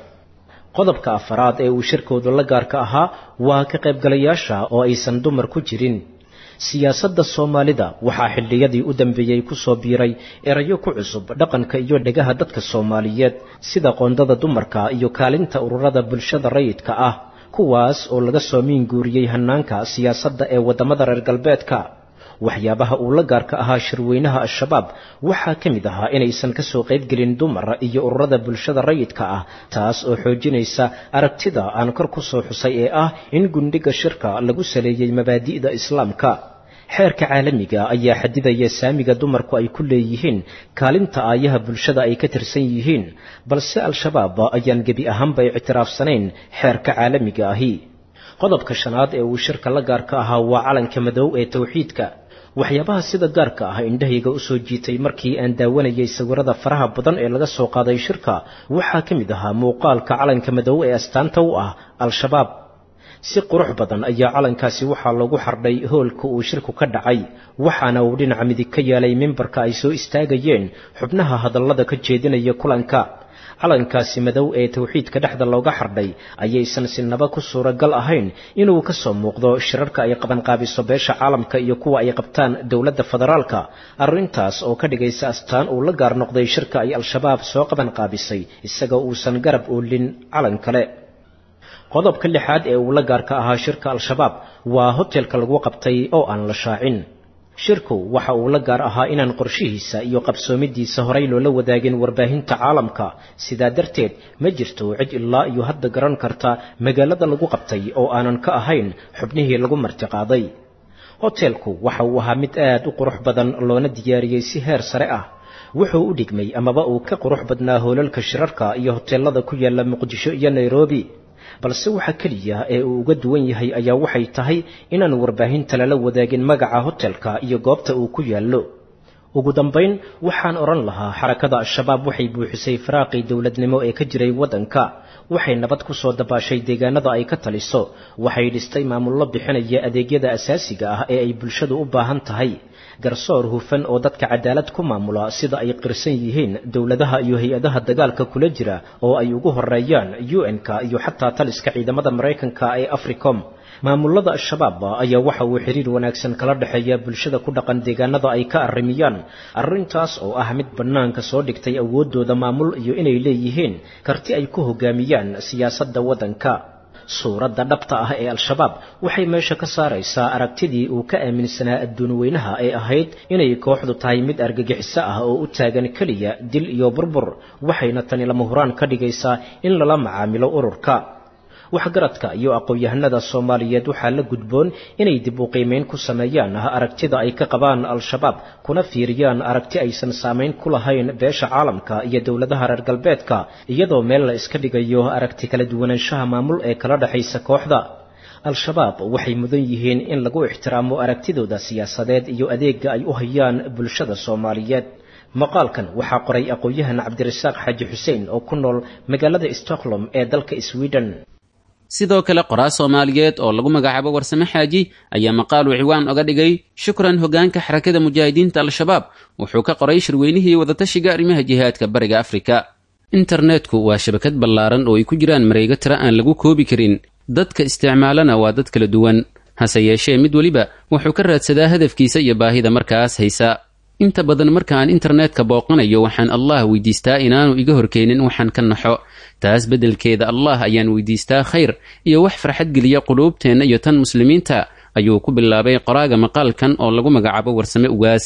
H: Qodobka afaraad ee uu shirkoodu la gaarka ahaa waa ka qaybgalayaasha oo aysan dumar ku jirin. Siyaasadda Soomaalida waxaa xilliyadii u dambeeyey ku soo biiray erayo ku cusub dhaqanka iyo dhegaha dadka Soomaaliyeed, sida qoondada dumarka iyo kaalinta ururada bulshada rayidka ah, kuwaas oo laga soo miinguuriyey hannaanka siyaasadda ee waddamada reer galbeedka. Waxyaabaha uu la gaarka ahaa shirweynaha Al-Shabaab waxaa ka mid ahaa inaysan ka soo qaybgelin dumar iyo ururada bulshada rayidka ah, taas oo xoojinaysa aragtida aan kor ku soo xusay ee ah in gundhiga shirka lagu saleeyey mabaadi'da Islaamka. Xeerka caalamiga ayaa xadidaya saamiga dumarku ay ku leeyihiin kaalinta aayaha bulshada ay ka tirsan yihiin, balse Al-Shabaab ayaan gebi ahaanba ictiraafsanayn xeerka caalamiga ahi. Qodobka shanaad ee uu shirka la gaarka ahaa waa calanka madow ee tawxiidka. Waxyaabaha sida gaarka ah indhahayga u soo jiitay markii aan daawanayay sawirada faraha badan ee laga soo qaaday shirka waxaa ka mid ahaa muuqaalka calanka madow ee astaanta u ah Al-Shabaab. Si qurux badan ayaa calankaasi waxaa loogu xardhay hoolka uu shirku ka dhacay, waxaana uu dhinaca midig ka yeelay mimbarka ay soo istaagayeen xubnaha hadallada ka jeedinaya kulanka. Calankaasi madow ee tawxiidka dhexda looga xardhay ayaysan sinaba ku suuragal ahayn inuu ka soo muuqdo shirarka ay qabanqaabiso beesha caalamka iyo kuwa ay qabtaan dowladda federaalka, arrintaas oo ka dhigaysa astaan uu la gaar noqday shirka ay Al-Shabaab soo qabanqaabisay isagoo uusan garab oolin calan kale. Qodobka lixaad ee uu la gaarka ahaa shirka Al-Shabaab waa hotelka lagu qabtay oo aan la shaacin. Shirku waxa uu la gaar ahaa inaan qorshihiisa iyo qabsoomidiisa horay loola wadaagin warbaahinta caalamka, sidaa darteed ma jirto cid ilaa iyo hadda garan karta magaalada lagu qabtay oo aanan ka ahayn xubnihii lagu martiqaaday. Hotelku waxa uu ahaa mid aad u qurux badan loona diyaariyey si heer sare ah. Wuxuu u dhigmay amaba uu ka qurux badnaa hoolalka shirarka iyo hoteelada ku yaala Muqdisho iyo Nairobi, balse waxa keliya ee uu uga duwan yahay ayaa waxay tahay inaan warbaahinta lala wadaagin magaca hotelka iyo goobta uu ku yaallo. Ugu dambayn, waxaan odhan lahaa xarakada Al-Shabaab waxay buuxisay firaaqii dowladnimo ee ka jiray waddanka, waxay nabad ku soo dabaashay deegaanada ay ka taliso, waxay dhistay maamullo bixinaya adeegyada asaasiga ah ee ay bulshadu u baahan tahay, garsoor hufan oo dadka cadaalad ku maamula sida ay qirsan yihiin dowladaha iyo hay-adaha dagaalka kula jira oo ay ugu horeeyaan UN-ka iyo xataa taliska ciidamada Maraykanka ee Africom. Maamulada Al-Shabaab ayaa waxa uu xiriir wanaagsan kala dhexeeya bulshada ku dhaqan deegaanada ay ka arrimiyaan, arrintaas oo ah mid bannaanka soo dhigtay awooddooda maamul iyo inay leeyihiin karti ay ku hoggaamiyaan siyaasadda waddanka. Suuradda dhabta ah ee Al-Shabaab waxay meesha ka saaraysaa aragtidii uu ka aaminsanaa adduun weynaha ee ahayd inay kooxdu tahay mid argagixiso ah oo u taagan keliya dil iyo burbur, waxayna tani lama huraan ka dhigaysaa in lala macaamilo ururka. Waxgaradka iyo aqoon-yahanada Soomaaliyeed waxaa la gudboon inay dib u qiimeyn ku sameeyaan aragtida ay ka qabaan Al-Shabaab, kuna fiiriyaan aragti aysan saameyn ku lahayn beesha caalamka iyo dowladaha reer galbeedka, iyadoo meel la iska dhigayo aragti kala duwanaanshaha maamul ee kala dhexaysa kooxda. Al-Shabaab waxay mudan yihiin in lagu ixtiraamo aragtidooda siyaasadeed iyo adeegga ay u hayaan bulshada Soomaaliyeed. Maqaalkan waxaa qoray aqoon-yahan Cabdirasaaq Xaaji Xuseen oo ku nool magaalada Stockholm ee dalka Sweden.
B: Sidoo kale qoraa Soomaaliyeed oo lagu magacaabo Warsame Xaaji ayaa maqaal uu ciwaan oga dhigay shukran hoggaanka xarakada mujaahidiinta Al-Shabaab wuxuu ka qoray shirweynihii wadatashiga arrimaha jihaadka bariga Afrika. Internetku waa shabakad ballaaran oo ay ku jiraan mareego tira aan lagu koobi karin, dadka isticmaalana waa dad kala duwan, hase yeeshee mid weliba wuxuu ka raadsadaa hadafkiisa iyo baahida markaas haysa. Inta badan marka aan internetka booqanayo waxaan Allah weydiistaa inaanu iga horkeenin waxaan ka naxo, taas beddelkeeda Allah ayaan weydiistaa khayr iyo wax farxad geliya quluubteenna iyo tan muslimiinta, ayuu ku bilaabay qoraaga maqaalkan oo lagu magacaabo Warsame Ugaas.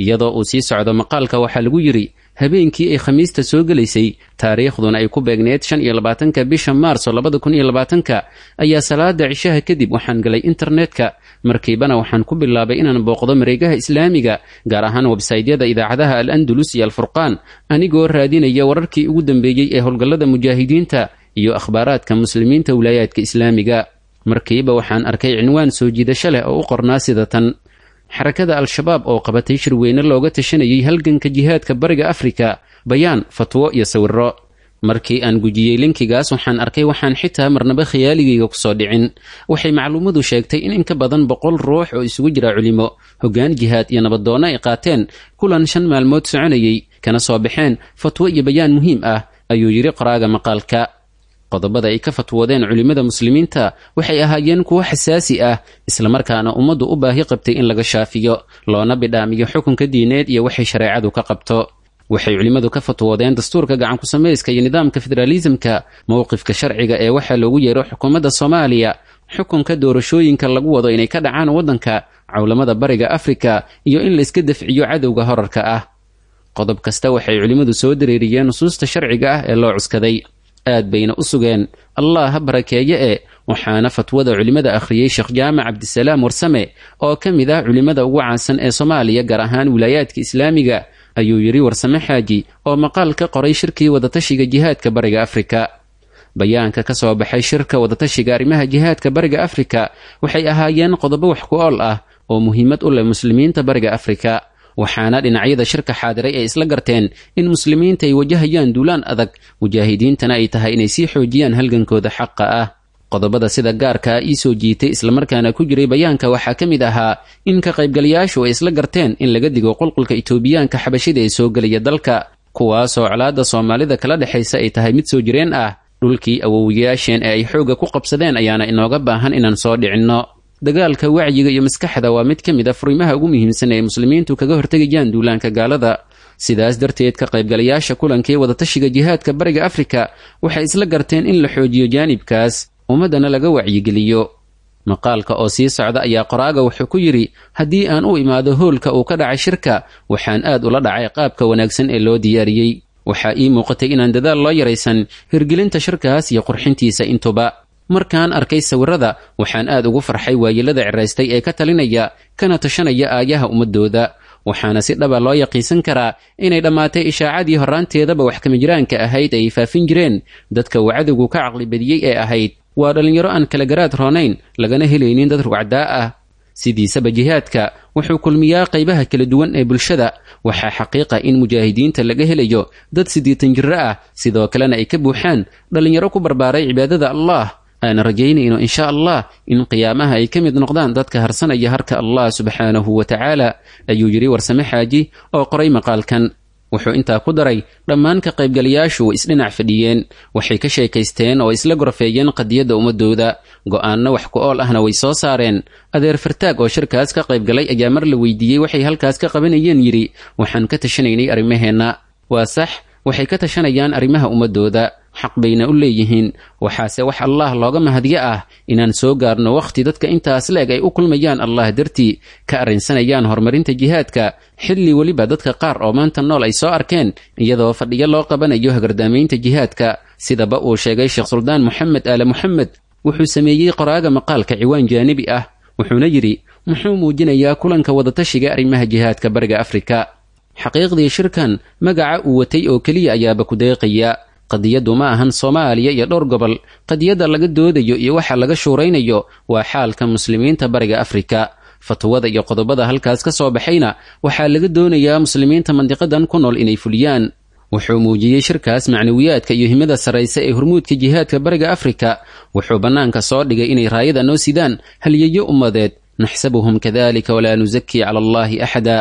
B: Iyadoo uu sii socdo maqaalka waxaa lagu yidhi habeenkii ay Khamiista soo gelaysay, taariikhduna ay ku beegneed 25-ka bisha Maarso 2020-ka, ayaa salaada cishaha kadib waxaan galay internetka. Markiibana waxaan ku bilaabay inaan booqdo mareegaha islaamiga, gaar ahaan websaytyada idaacadaha Al Andalus iyo Alfurqaan, anigoo raadinaya wararkii ugu dambeeyey ee howlgallada mujaahidiinta iyo akhbaaraadka muslimiinta wilaayaadka islaamiga. Markiiba waxaan arkay cinwaan soo jiidasho leh oo u qornaa sida tan: Xarakada Al-Shabaab oo qabatay shirweyne looga tashanayay halganka jihaadka Bariga Afrika, bayaan, fatwo iyo sawirro. Markii aan gujiyey linkigaas waxaan arkay waxaan xitaa marnaba khiyaaligayga kusoo dhicin. Waxay macluumadu sheegtay in in ka badan 100 ruux oo isugu jira culimo, hoggaan jihaad iyo nabadoonno ay qaateen kulan 5 maalmood soconayay, kana soo baxeen fatwo iyo bayaan muhiim ah, ayuu yidhi qoraaga maqaalka. Qodobada ay ka fatwoodeen culimmada muslimiinta waxay ahaayeen kuwo xasaasi ah, islamarkaana ummaddu u baahi qabtay in laga shaafiyo, loona bidhaamiyo xukunka diineed iyo waxay shareecadu ka qabto. Waxay culimmadu ka fatwoodeen dastuurka gacanku-samayska iyo nidaamka federaalisamka, mowqifka sharciga ee waxaa loogu yeero xukuumadda Soomaaliya, xukunka doorashooyinka lagu wado inay ka dhacaan waddanka, cawlamada Bariga Afrika iyo in layska dafciyo cadowga horarka ah. Qodob kasta waxay culimmadu soo dareeriyeen nusuusta sharciga ah ee loo cuskaday, aad bayna u sugeen, Allah ha barakeeye. E waxaana fatwada culimmada akhriyey Sheekh Jaamac Cabdisalaam Warsame oo ka mid ah culimmada ugu caansan ee Soomaaliya, gaar ahaan wilaayaadka islaamiga, ayuu yidhi Warsame Xaaji oo maqaal ka qoray shirkii wadatashiga jihaadka Bariga Afrika. Bayaanka ka soo baxay shirka wadatashiga arrimaha jihaadka Bariga Afrika waxay ahaayeen qodobo wax ku ool ah oo muhiimad u leh muslimiinta Bariga Afrika, waxaana dhinacyada shirka xaadiray ay isla garteen in muslimiinta ay wajahayaan duulaan adag, mujaahidiintana ay tahay inay sii xoojiyaan halgankooda xaqa ah. Qodobada sida gaarkaa ii soo jiitay islamarkaana ku jiray bayaanka waxaa ka mid ahaa in ka qaybgalayaashu ay isla garteen in laga digo qulqulka Itoobiyaanka xabashida ee soo gelaya dalka, kuwaasoo colaadda Soomaalida kala dhexaysa ay tahay mid soo jireen ah. Dhulkii awowiyaasheen ee ay xoogga ku qabsadeen ayaana inooga baahan inaan soo dhicinno. Dagaalka wacyiga iyo maskaxda waa mid ka mid a furimaha ugu muhiimsan ee muslimiintu kaga hortegayaan duulaanka gaalada. Sidaas darteed, ka qaybgalayaasha kulankii wadatashiga jihaadka Bariga Afrika waxay isla garteen in la xoojiyo jaanibkaas, ummaddana laga wacyigeliyo. Maqaalka oo sii socda ayaa qoraaga wuxuu ku yidhi: haddii aan u imaado hoolka uu ka dhacay shirka, waxaan aad ula dhacay qaabka wanaagsan ee loo diyaariyey. Waxaa ii muuqatay inaan dadaal loo yaraysan hirgelinta shirkaas iyo qurxintiisa intuba. Markaan arkay sawirrada waxaan aad ugu farxay waayelada ciraystay ee ka talinaya kana tashanaya aayaha ummadooda, waxaana si dhaba loo yaqiinsan karaa inay dhammaatay ishaacadii horraanteedaba wax kamijiraanka ahayd ay faafin jireen dadka uu cadowgu ka caqlibadiyey ee ahayd waa dhallinyaro aan kala garaad roonayn, lagana helaynin dad rugcadaa ah. Sidiisaba jihaadka wuxuu kulmiyaa qaybaha kala duwan ee bulshada. Waxaa xaqiiqa in mujaahidiinta laga helayo dad 80 jiro ah, sidoo kalena ay ka buuxaan dhallinyaro ku barbaaray cibaadada Allah. Aana rajaynayno insha Allah in qiyaamaha ay ka mid noqdaan dadka harsanaya harka Allah subxaanahu wa tacaala, ayuu yidhi Warsame Xaaji oo qoray maqaalkan. Wuxuu intaa ku daray: dhammaan ka qaybgalayaashu way isdhinac fadhiyeen, waxay ka sheekaysteen oo isla gorfeeyeen qadiyadda ummadooda, go'aanno wax ku ool ahna way soo saareen. Adeer Fartaag oo shirkaas ka qaybgalay ayaa mar la weydiiyey waxay halkaas ka qabanayeen yidhi: waxaan ka tashanaynay arrimaheenna. Waa sax, waxay ka tashanayaan arrimaha ummadooda, xaq bayna u leeyihiin. Waxaase wax Allah looga mahadyo ah inaan soo gaarno wakhti dadka intaas leeg ay u kulmayaan Allah dartii, ka arrinsanayaan horumarinta jihaadka, xilli weliba dadka qaar oo maanta nool ay soo arkeen iyadoo fadhiyo loo qabanayo hagardaamaynta jihaadka, sidaba uu sheegay Sheekh Suldaan Moxamed Aale Moxamed. Wuxuu sameeyey qoraaga maqaalka ciwaan jaanibi ah, wuxuuna yidhi: muxuu muujinayaa kulanka wadatashiga arrimaha jihaadka Bariga Afrika? Xaqiiqdii shirkan magaca uu watay oo keliya ayaaba ku deeqaya. Qadiyaddu ma ahan Soomaaliya iyo dhowr gobol. Qadiyadda laga doodayo iyo waxa laga shuuraynayo waa xaalka muslimiinta Bariga Afrika. Fatwada iyo qodobada halkaas ka soo baxayna waxaa laga doonayaa muslimiinta mandiqadan ku nool inay fuliyaan. Wuxuu muujiyey shirkaas macnawiyaadka iyo himada sarraysa ee hormuudka jihaadka Bariga Afrika. Wuxuu bannaanka soo dhigay inay raayada noo sidaan halyeeyo ummadeed, naxsabuhum kadalika walaa nusakii cala allaahi axada.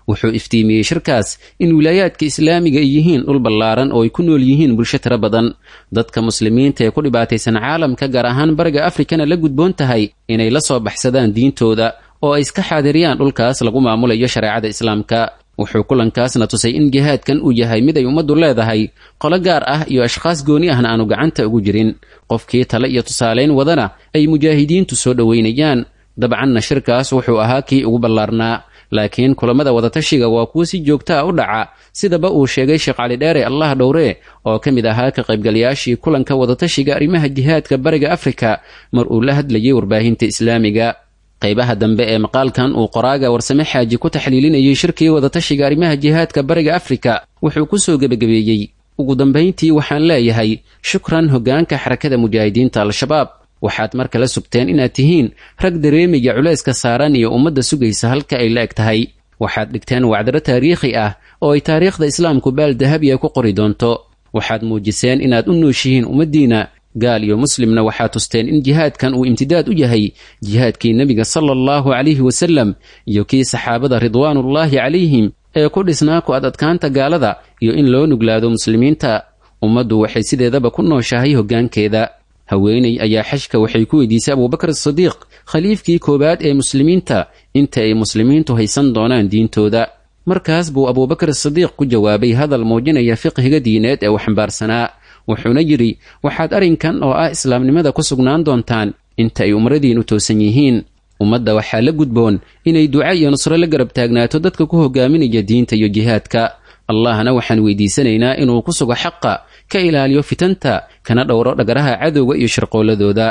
B: Wuxuu iftiimiyey shirkaas in wilaayaadka islaamiga ay yihiin dhul ballaaran oo ay ku nool yihiin bulsho tiro badan, dadka muslimiinta ee ku dhibaataysan caalamka, gaar ahaan Bariga Afrikana la gudboon tahay inay la soo baxsadaan diintooda oo ay iska xaadiriyaan dhulkaas lagu maamulayo shareecada islaamka. Wuxuu kulankaasna tusay in jihaadkan uu yahay mid ay ummaddu leedahay, qolo gaar ah iyo ashkhaas gooni ahna aanu gacanta ugu jirin, qofkii tale iyo tusaalayn wadana ay mujaahidiintu soo dhoweynayaan. Dabcanna shirkaas wuxuu ahaa kii ugu ballaarnaa, laakiin kulamada wadatashiga waa kuwo si joogta ah u dhaca, sidaba uu sheegay Sheekh Cali Dheere, Allah dhowree, oo ka mid ahaa ka qaybgalayaashii kulanka wadatashiga arrimaha jihaadka Bariga Afrika mar uu la hadlayay warbaahinta islaamiga. Qaybaha dambe ee maqaalkan uu qoraaga Warsame Xaaji ku taxliilinayay shirkii wadatashiga arrimaha jihaadka Bariga Afrika wuxuu ku soo gebagabeeyey: Ugu dambayntii waxaan leeyahay shukran hoggaanka xarakada mujaahidiinta Al-Shabaab. Waxaad mar kale sugteen inaad tihiin rag dareemaya culayska saaran iyo ummadda sugaysa halka ay la eg tahay. Waxaad dhigteen wacdaro taariikhi ah oo ay taariikhda islaamku baal dahabiya ku qori doonto. Waxaad muujiseen inaad u nooshihiin ummaddiina, gaal iyo muslimna waxaad tusteen in jihaadkan uu imtidaad u yahay jihaadkii nebiga sala allahu calayhi wasallam iyo kii saxaabada ridwaanullaahi calayhim ee ku dhisnaa ku ad adkaanta gaalada iyo in loo nuglaado muslimiinta. Ummaddu waxay sideedaba ku nooshahay hoggaankeeda. Haweeney ayaa xajka waxay ku weydiisay Abuubakar Asadiiq, khaliifkii koowaad ee muslimiinta, inta ay muslimiintu haysan doonaan diintooda. Markaas buu Abuubakar Asadiiq ku jawaabay hadal muujinaya fiqhiga diineed ee uu xambaarsanaa, wuxuuna yidhi: waxaad arrinkan oo ah islaamnimada ku sugnaan doontaan inta ay umradiinnu toosan yihiin. Ummadda waxaa la gudboon inay duca iyo nusro la garab taagnaato dadka ku hogaaminaya diinta iyo jihaadka. Allahna waxaan weydiisanaynaa inuu ku sugo xaqa, ka ilaaliyo fitanta, kana dhowro dhagaraha cadowga iyo shirqooladooda.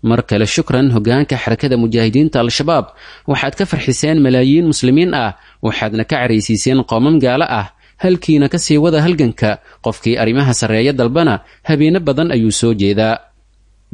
B: Mar kale shukran hoggaanka xarakada mujaahidiinta Al-Shabaab. Waxaad ka farxiseen malaayiin muslimiin ah, waxaadna ka caraysiiseen qoomam gaalo ah. Halkiina ka sii wada halganka. Qofkii arrimaha sarreeya dalbana habeeno badan ayuu soo jeedaa.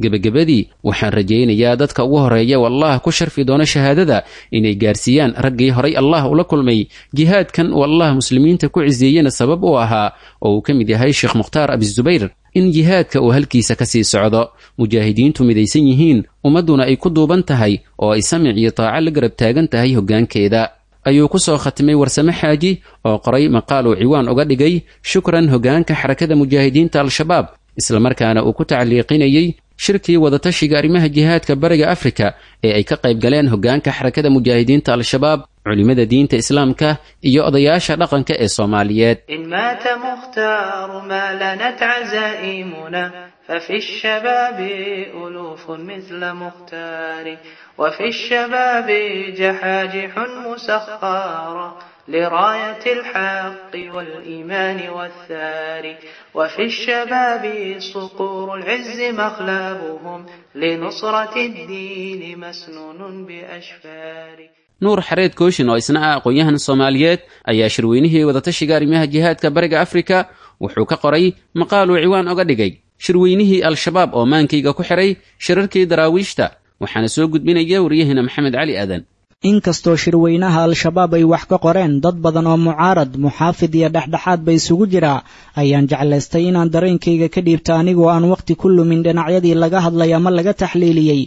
B: Gebagabadii waxaan rajaynayaa dadka ugu horeeya wallah ku sharfi doono shahaadada inay gaarsiiyaan raggii horay Allah ula kulmay jihaadkan uu Allah muslimiinta ku ciseeyena sabab u ahaa, oo uu ka mid yahay Sheekh Mukhtaar Abizubayr, in jihaadka uu halkiisa ka sii socdo, mujaahidiintu midaysan yihiin, ummadduna ay ku duuban tahay oo ay samic iyo taaco la garab taagan tahay hoggaankeeda. Ayuu ku soo khatimay Warsame Xaaji oo qoray maqaal uu ciwaan uga dhigay shukran hoggaanka xarakada mujaahidiinta Al-Shabaab, islamarkaana uu ku tacliiqinayey shirkii wadatashiga arrimaha jihaadka bariga Afrika ee ay ka qayb galeen hoggaanka xarakada mujaahidiinta Al-Shabaab, culimada diinta islaamka iyo odayaasha dhaqanka ee Soomaaliyeed.
I: إن مات مختار ما لنت عزائمنا، ففي الشباب ألوف مثل مختار، وفي الشباب جحاجح مسخرة لراية الحق والإيمان والثار، وفي الشباب صقور العز مخلبهم لنصرة الدين مسنون بأشفار.
B: Nuur Xareed Kooshin oo isna ah aqoon-yahan Soomaaliyeed ayaa shirweynihii wadatashiga arrimaha jihaadka bariga Afrika wuxuu ka qoray maqaal uu ciwaan oga dhigay shirweynihii Al-Shabaab oo maankayga ku xiray shirarkii daraawiishta, waxaana soo gudbinaya waryaheena Maxamed Cali Aadan.
E: Inkastoo shirweynaha Al-Shabaab ay wax ka qoreen dad badan oo mucaarad, muxaafid iyo dhexdhexaad ba isugu jira, ayaan jeclaystay inaan dareenkayga ka dhiibta anigoo aan wakhti ku lumin dhinacyadii laga hadlay ama laga taxliiliyey.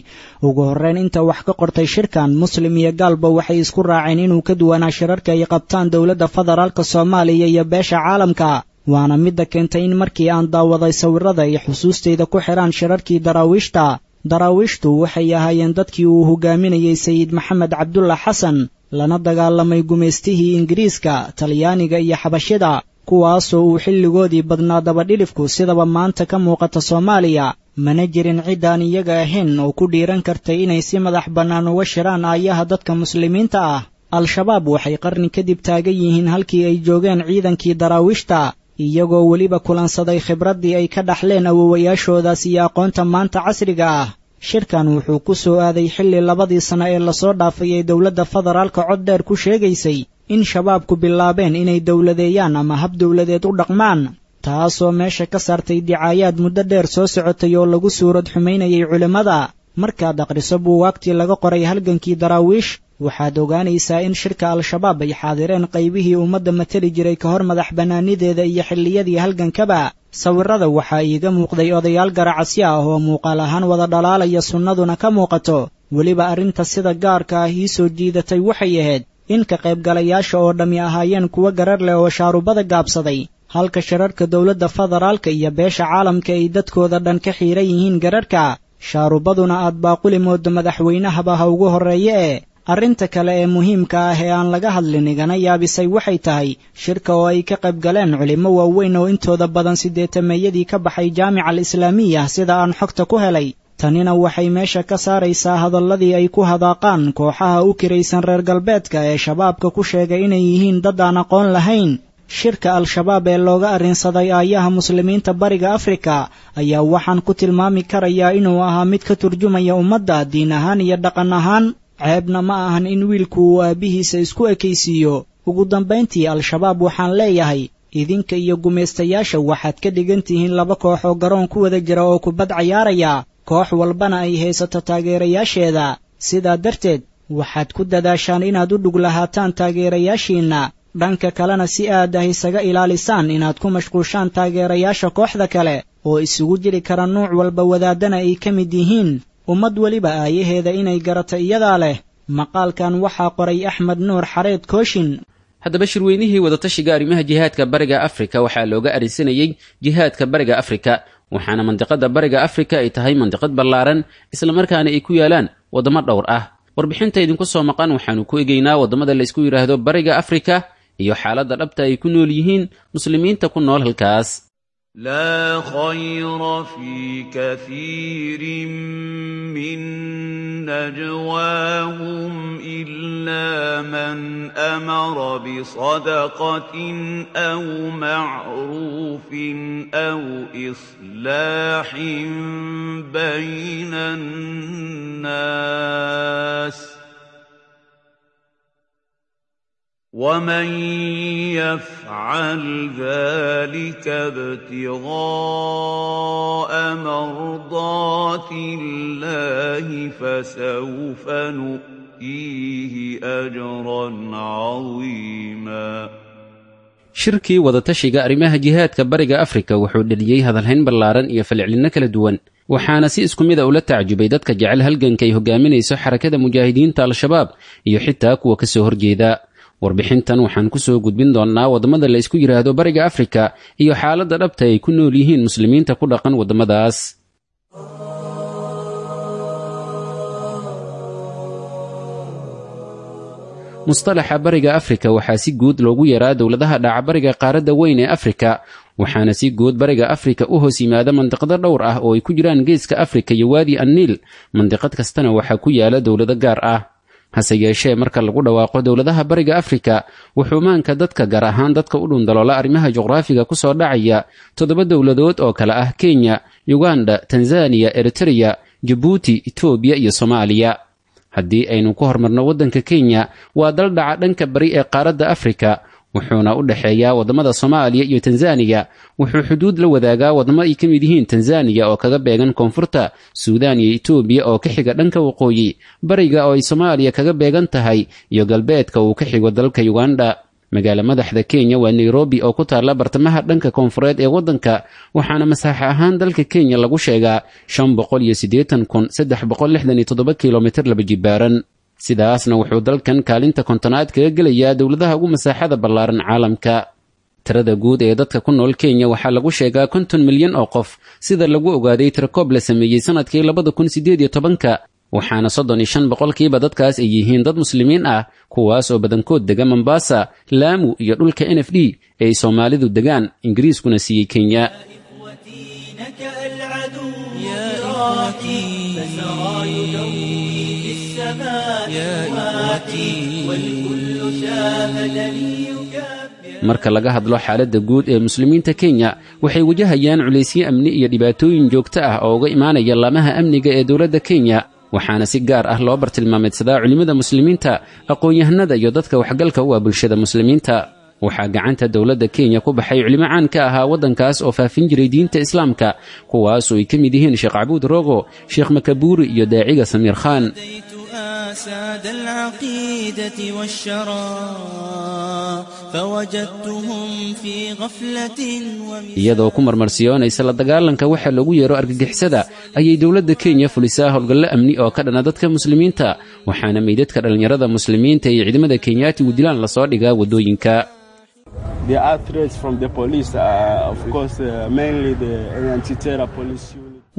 E: Ugu horreyn, inta wax ka qortay shirkan, muslim iyo gaalba waxay isku raaceen inuu ka duwanaa shirarka ay qabtaan dowladda federaalka Soomaaliya iyo beesha caalamka, waana midda keentay in markii aan daawaday sawirada ay xusuustayda ku xidhaan shirarkii daraawiishta. Daraawiishtu waxay ahaayeen dadkii uu hogaaminayey Sayid Maxamed Cabdulla Xasan, lana dagaalamay gumaystihii Ingiriiska, Talyaaniga iyo Xabashida, kuwaasoo uu xilligoodii badnaa dabadhilifku sidaba maanta ka muuqata Soomaaliya. Mana jirin ciddaan iyaga ahayn oo ku dhiiran kartay inay si madax bannaan uga shiraan aayaha dadka muslimiinta ah. Al-Shabaab waxay qarni kadib taagan yihiin halkii ay joogeen ciidankii daraawiishta, iyagoo weliba kulansaday khibraddii ay ka dhaxleen awowayaashoodaas iyo aqoonta maanta casriga ah. Shirkan wuxuu ku soo aaday xilli labadii sano ee lasoo dhaafay ee dowladda federaalka cod dheer ku sheegaysay in shabaabku bilaabeen inay dowladeeyaan ama hab dowladeed u dhaqmaan, taasoo meesha ka saartay dicaayaad muddo dheer soo socotay oo lagu suurad xumaynayay culimmada. Markaad akhriso buugaagtii laga qoray halgankii daraawiish, waxaad ogaanaysaa in shirka Al-Shabaab ay xaadireen qaybihii ummadda matali jiray ka hor madax bannaanideeda iyo xilliyadii halgankaba. Sawirada waxaa iiga muuqday odayaal garacasyo ah oo muuqaal ahaan wada dhalaalaya, sunnaduna ka muuqato. Weliba arrinta sida gaarka ah ii soo jiidatay waxay ahayd in ka qaybgalayaasha oo dhammi ahaayeen kuwo garar leh oo shaarubada gaabsaday, halka shirarka dowladda federaalka iyo beesha caalamka ay dadkooda dhan ka xiiran yihiin gararka, shaarubaduna aad baaquli moodo madaxweynahaba ha ugu horreeye. E arrinta kale ee muhiimka ah ee aan laga hadlin igana yaabisay waxay tahay shirka oo ay ka qayb galeen culimmo waaweyn oo intooda badan sideetameeyadii ka baxay Jaamica Al-Islaamiya, sida aan xogta ku helay. Tanina waxay meesha ka saaraysaa hadalladii ay ku hadaaqaan kooxaha u kiraysan reer galbeedka ee shabaabka ku sheegay inay yihiin dad aan aqoon lahayn. Shirka Al-Shabaab ee looga arrinsaday aayaha muslimiinta bariga Afrika ayaa waxaan ku tilmaami karayaa inuu ahaa mid ka turjumaya ummadda diin ahaan iyo dhaqan ahaan. Ceebna ma ahan in wiilku uu aabbihiisa isku ekaysiiyo. Ugu dambayntii, Al-Shabaab waxaan leeyahay Idinka iyo gumaystayaasha waxaad ka dhigan tihiin laba koox oo garoon ku wada jira oo kubad cayaaraya, koox walbana ay haysato taageerayaasheeda. Sidaa darteed waxaad ku dadaashaan inaad u dhug lahaataan taageerayaashiinna, dhanka kalena si aad ah isaga ilaalisaan inaad ku mashquushaan taageerayaasha kooxda kale oo isugu jiri kara nuuc walba, wadaadana ay ka mid yihiin. Ummad weliba aayaheeda inay garato iyadaa leh. Maqaalkan waxaa qoray Axmed Nuur Xareed Kooshin.
B: Haddaba shirweynihii wadatashiga arrimaha jihaadka Bariga Afrika waxaa looga arrinsanayey jihaadka Bariga Afrika, waxaana mandiqada Bariga Afrika ay tahay mandiqad ballaaran, islamarkaana ay ku yaalaan waddamo dhowr ah. Warbixinta idinku soo maqan waxaanu ku egeynaa waddamada laysku yidhaahdo Bariga Afrika iyo xaaladda dhabta ay ku nool yihiin muslimiinta ku nool halkaas.
F: لا خير في كثير من نجواهم إلا من أمر بصدقة أو معروف أو إصلاح بين الناس ومن يفعل ذلك ابتغاء مرضات الله فسوف نؤتيه أجرا عظيما.
B: Shirkii wadatashiga arrimaha jihaadka Bariga Afrika wuxuu dhaliyey hadalhayn ballaaran iyo falcelinno kala duwan, waxaana si isku mid a ula tacjubay dadka jecel halganka ay hogaaminayso Xarakada Mujaahidiinta Al-Shabaab iyo xitaa kuwa ka soo horjeeda. Warbixintan waxaan ku soo gudbin doonnaa waddamada la isku yidhaahdo Bariga Afrika iyo xaaladda dhabta ay ku nool yihiin muslimiinta ku dhaqan waddamadaas. Mustalaxa Bariga Afrika waxaa si guud loogu yaraa dowladaha dhaca bariga qaaradda weyn ee Afrika, waxaana si guud Bariga Afrika u hoos yimaada mandiqado dhowr ah oo ay ku jiraan Geeska Afrika iyo Waadi Anniil. Mandiqad kastana waxaa ku yaala dowlado gaar ah. Hase yeeshee, marka lagu dhawaaqo dowladaha Bariga Afrika, wuxuu maanka dadka, gaar ahaan dadka u dhundaloola arrimaha juqraafiga, ku soo dhacaya 7 dowladood oo kale ah Kenya, Yuganda, Tanzaniya, Eritreya, Jabuuti, Itoobiya iyo Soomaaliya. Haddii aynu ku hormarno waddanka Kenya, waa dal dhaca dhanka bari ee qaaradda Afrika, wuxuuna u dhexeeyaa waddamada Soomaaliya iyo Tanzaniya. Wuxuu xuduud la wadaagaa waddamo ay ka mid yihiin Tanzaniya oo kaga beegan koonfurta, Suudaan iyo Itoobiya oo ka xiga dhanka waqooyi, bariga oo ay Soomaaliya kaga beegan tahay, iyo galbeedka uu ka xigo dalka Yuganda. Magaala madaxda Kenya waa Nairobi oo ku taalla bartamaha dhanka koonfureed ee waddanka, waxaana masaaxa ahaan dalka Kenya lagu sheegaa 580,367 kilomitir laba jibaaran. Sidaasna wuxuu dalkan kaalinta 50aad kaga gelayaa dowladaha ugu masaaxada ballaaran caalamka. Tirada guud ee dadka ku nool Kenya waxaa lagu sheegaa 50 milyan oo qof, sida lagu ogaaday tirakoob la sameeyey sanadkii 2018-ka, waxaana 35% dadkaas ay yihiin dad muslimiin ah, kuwaas oo badankood dega Mombasa, Laamu iyo dhulka NFD ee ay Soomaalidu degaan, Ingiriiskuna siiyey Kenya. Marka laga hadlo xaaladda guud ee muslimiinta Kenya, waxay wajahayaan culaysyo amni iyo dhibaatooyin joogto ah oo uga imaanaya laamaha amniga ee dowladda Kenya, waxaana si gaar ah loo bartilmaameedsadaa culimmada muslimiinta, aqoon-yahanada iyo dadka waxgalka u ah bulshada muslimiinta. Waxaa gacanta dowladda Kenya ku baxay culimo caan ka ahaa waddankaas oo faafin jiray diinta islaamka, kuwaasoo ay ka mid yihiin Sheekh Cabuud Rogo, Sheekh Makabuuri iyo daaciga Samiir Khan.
J: أساد العقيدة والشرى فوجدتهم في غفلة.
B: Iyadoo ku marmarsiyoonaysa la dagaalanka waxa loogu yeero argagixisada, ayay dowladda Kenya fulisaa howlgallo amni oo ka dhana dadka muslimiinta, waxaana meydadka dhallinyarada muslimiinta iyo ciidamada Kenyaatigu dilaan lasoo dhigaa waddooyinka.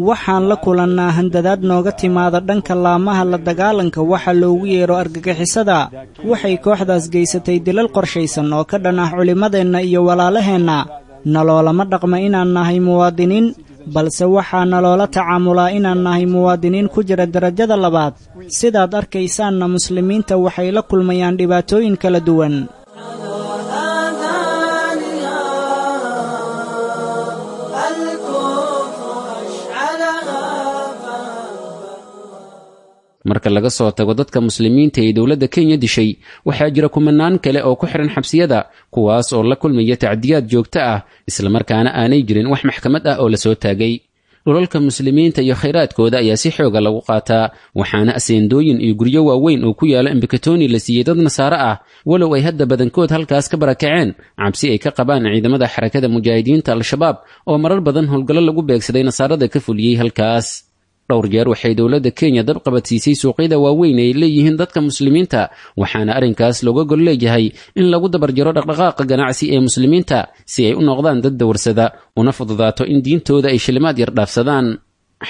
E: Waxaan la kulannaa handadaad nooga timaada dhanka laamaha la dagaalanka waxa loogu yeero argagixisada. Waxay kooxdaas geysatay dilal qorshaysan oo ka dhan ah culimmadeenna iyo walaalaheenna. Naloolama dhaqma inaan nahay muwaadiniin, balse waxaa naloola tacaamulaa inaan nahay muwaadiniin ku jira darajada labaad. Sidaad arkaysaanna, muslimiinta waxay la kulmayaan dhibaatooyin kala duwan.
B: Marka laga soo tago dadka muslimiinta ee dowladda Kenya dishay, waxaa jira kumanaan kale oo ku xiran xabsiyada, kuwaas oo la kulmaya tacdiyaad joogto ah, islamarkaana aanay jirin wax maxkamad ah oo lasoo taagay. Dhulalka muslimiinta iyo khayraadkooda ayaa si xooga lagu qaataa, waxaana aseendooyin iyo guryo waaweyn oo ku yaala Embakatoni la siiyey dad nasaare ah, walow ay hadda badankood halkaas ka barakaceen cabsi ay ka qabaan ciidamada Xarakada Mujaahidiinta Al-Shabaab oo marar badan howlgallo lagu beegsaday nasaarada ka fuliyey halkaas. Dhowr jeer waxay dowladda Kenya dab qabadsiisay suuqyada waaweyn ay leeyihiin dadka muslimiinta, waxaana arrinkaas looga gol leeyahay in lagu dabarjaro dhaqdhaqaaqa ganacsi ee muslimiinta si ay u noqdaan dad dawarsada una fududaato in diintooda ay shilimaad yar dhaafsadaan.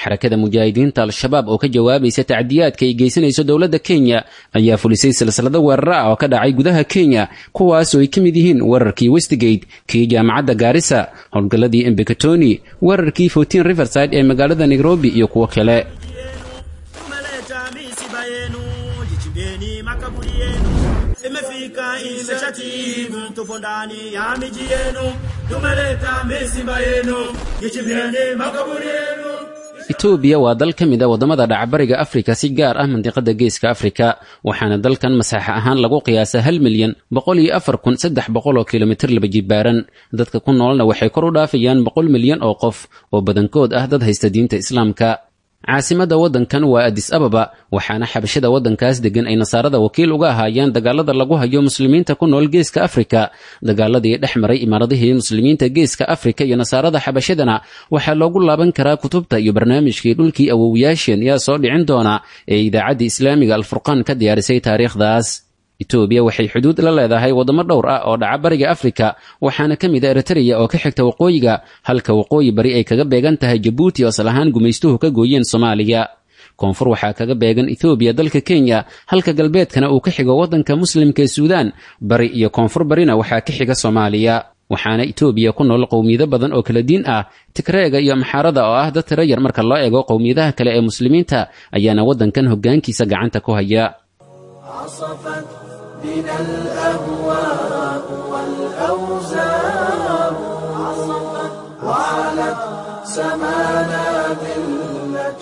B: Xarakada Mujaahidiinta Al-Shabaab oo ka jawaabaysa tacdiyaadka ay geysanayso dowladda Kenya ayaa fulisay silsilado weeraro ah oo ka dhacay gudaha Kenya, kuwaas oo ay ka mid yihiin weerarkii Westgate, kii jaamacadda Gaarisa, howlgalladii Embakatoni, weerarkii 14 Riverside ee magaalada Nairobi iyo kuwo kale.
K: Tumeleta misiba yenu, jichimbeni makaburi yenu. Imefika imeshatimu, tupo ndani ya miji yenu. Tumeleta misiba yenu, jichimbeni makaburi yenu.
B: Itoobiya waa dal ka mid a waddamada dhacbariga Afrika, si gaar ah mandiqada Geeska Afrika, waxaana dalkan masaaxa ahaan lagu qiyaasaa 1,104,300 oo kilomitir laba jibaaran. Dadka ku noolna waxay kor u dhaafayaan 100 milyan oo qof oo badankood ah dad haysta diinta Islaamka. Caasimadda waddankan waa Adis Ababa, waxaana xabashada waddankaas deggan ay nasaarada wakiil uga ahaayeen dagaalada lagu hayo muslimiinta ku nool Geeska Afrika. Dagaaladii dhex maray imaaradihii muslimiinta Geeska Afrika iyo nasaarada xabashadana waxaa loogu laaban karaa kutubta iyo barnaamijkii Dhulkii Awowiyaasheen Yaa Soo Dhicin Doona ee Idaacadda Islaamiga Alfurqaan ka diyaarisay taariikhdaas. Itoobiya waxay xuduud la leedahay waddamo dhowr ah oo dhaca bariga Afrika, waxaana ka mid a Eritreya oo ka xigta waqooyiga, halka waqooyi bari ay kaga beegan tahay Jabuuti oo asal ahaan gumaystuhu ka gooyeen Soomaaliya. Koonfur waxaa kaga beegan Ethoobiya dalka Kenya, halka galbeedkana uu ka xigo waddanka muslimka ee Suudaan. Bari iyo koonfur barina waxaa ka xiga Soomaaliya. Waxaana Itoobiya ku nool qowmiyado badan oo kala diin ah. Tigreega iyo Amxaarada oo ah dad tiro yar marka loo eego qowmiyadaha kale ee muslimiinta ayaana waddankan hoggaankiisa gacanta ku haya.
L: عصفت بنا الأهواء والأوزار، عصفت وعلت سمانا ذلة.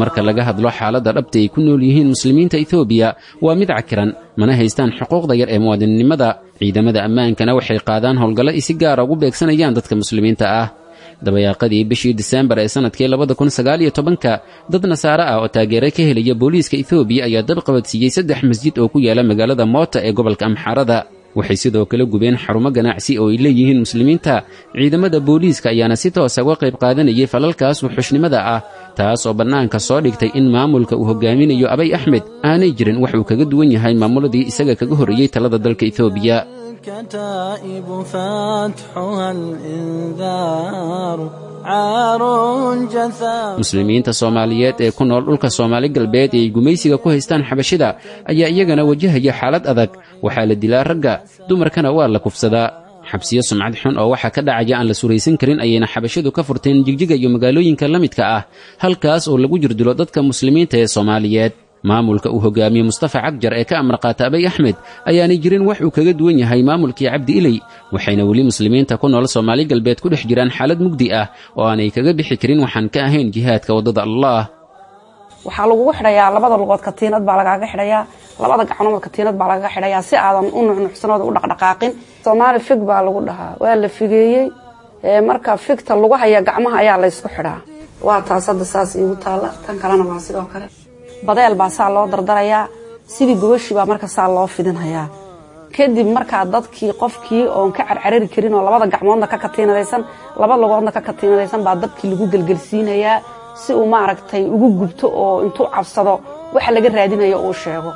B: Marka laga hadlo xaaladda dhabta ay ku nool yihiin muslimiinta Etoobiya waa mid cakiran, mana haystaan xuquuqda yar ee muwaadinnimada. Ciidamada ammaankana waxay qaadaan howlgallo ay si gaara ugu beegsanayaan dadka muslimiinta ah. Dabayaaqadii bishii Diseembar ee sanadkii 2019-ka, dad nasaare ah oo taageero ka helaya booliiska Etoobiya ayaa dab qabadsiiyey 3 masjid oo ku yaala magaalada Moota ee gobolka Amxaarada. Waxay sidoo kale gubeen xarumo ganacsi oo ay leeyihiin muslimiinta. Ciidamada booliiska ayaana si toosa uga qayb qaadanayay falalkaas wuxushnimada ah, taas oo bannaanka soo dhigtay in maamulka uu hogaaminayo Abay Axmed aanay jirin wax uu kaga duwan yahay maamuladii isaga kaga horreeyey talada dalka Etoobiya.
J: الكتائب فاتحها الإنذار عار جثا.
B: Muslimiinta Soomaaliyeed ee ku nool dhulka Soomaali Galbeed ee ay gumaysiga ku haystaan xabashida ayaa iyagana wajahaya xaalad adag. Waxaa la dilaa ragga, dumarkana waa la kufsadaa. Xabsiyo sumcad xun oo waxaa ka dhacaya aan la suraysan karin ayayna xabashidu ka furteen Jigjiga iyo magaalooyinka la midka ah, halkaas oo lagu jirdilo dadka muslimiinta ee Soomaaliyeed. Maamulka uu hogaamiye Mustafa Cagjar ee ka amar qaata Abay Axmed ayaanay jirin wax uu kaga duwan yahay maamulkii Cabdi Iley, waxayna weli muslimiinta ku nool Soomaali Galbeed ku dhex jiraan xaalad mugdi ah oo aanay kaga bixi karin waxaan ka ahayn jihaadka waddada Allah.
M: Waxaa lagugu xidhayaa labada lugood katiinad baa lagaaga xidhayaa, labada gacnood katiinad baa lagaga xidhayaa si aadan u nuxnuxsanooda u dhaqdhaqaaqin. Soomaali fig baa lagu dhahaa, waa la figeeyey. Marka figta lagu haya gacmaha ayaa laysku xidhaa. Waa taas hadda saas iigu taalla, tan kalena waa sidoo kale. Badeel baa saa loo dardarayaa, sidii gobashii baa marka saa loo fidinhayaa. Kadib markaa dadkii qofkii oon ka carcarari karin oo labada gacmoodna ka katiinadaysan, laba lugoodna ka katiinadaysan baa dabkii lagu gelgelsiinayaa si uu maaragtay ugu gubto oo intuu cabsado waxa laga raadinayo uu sheego.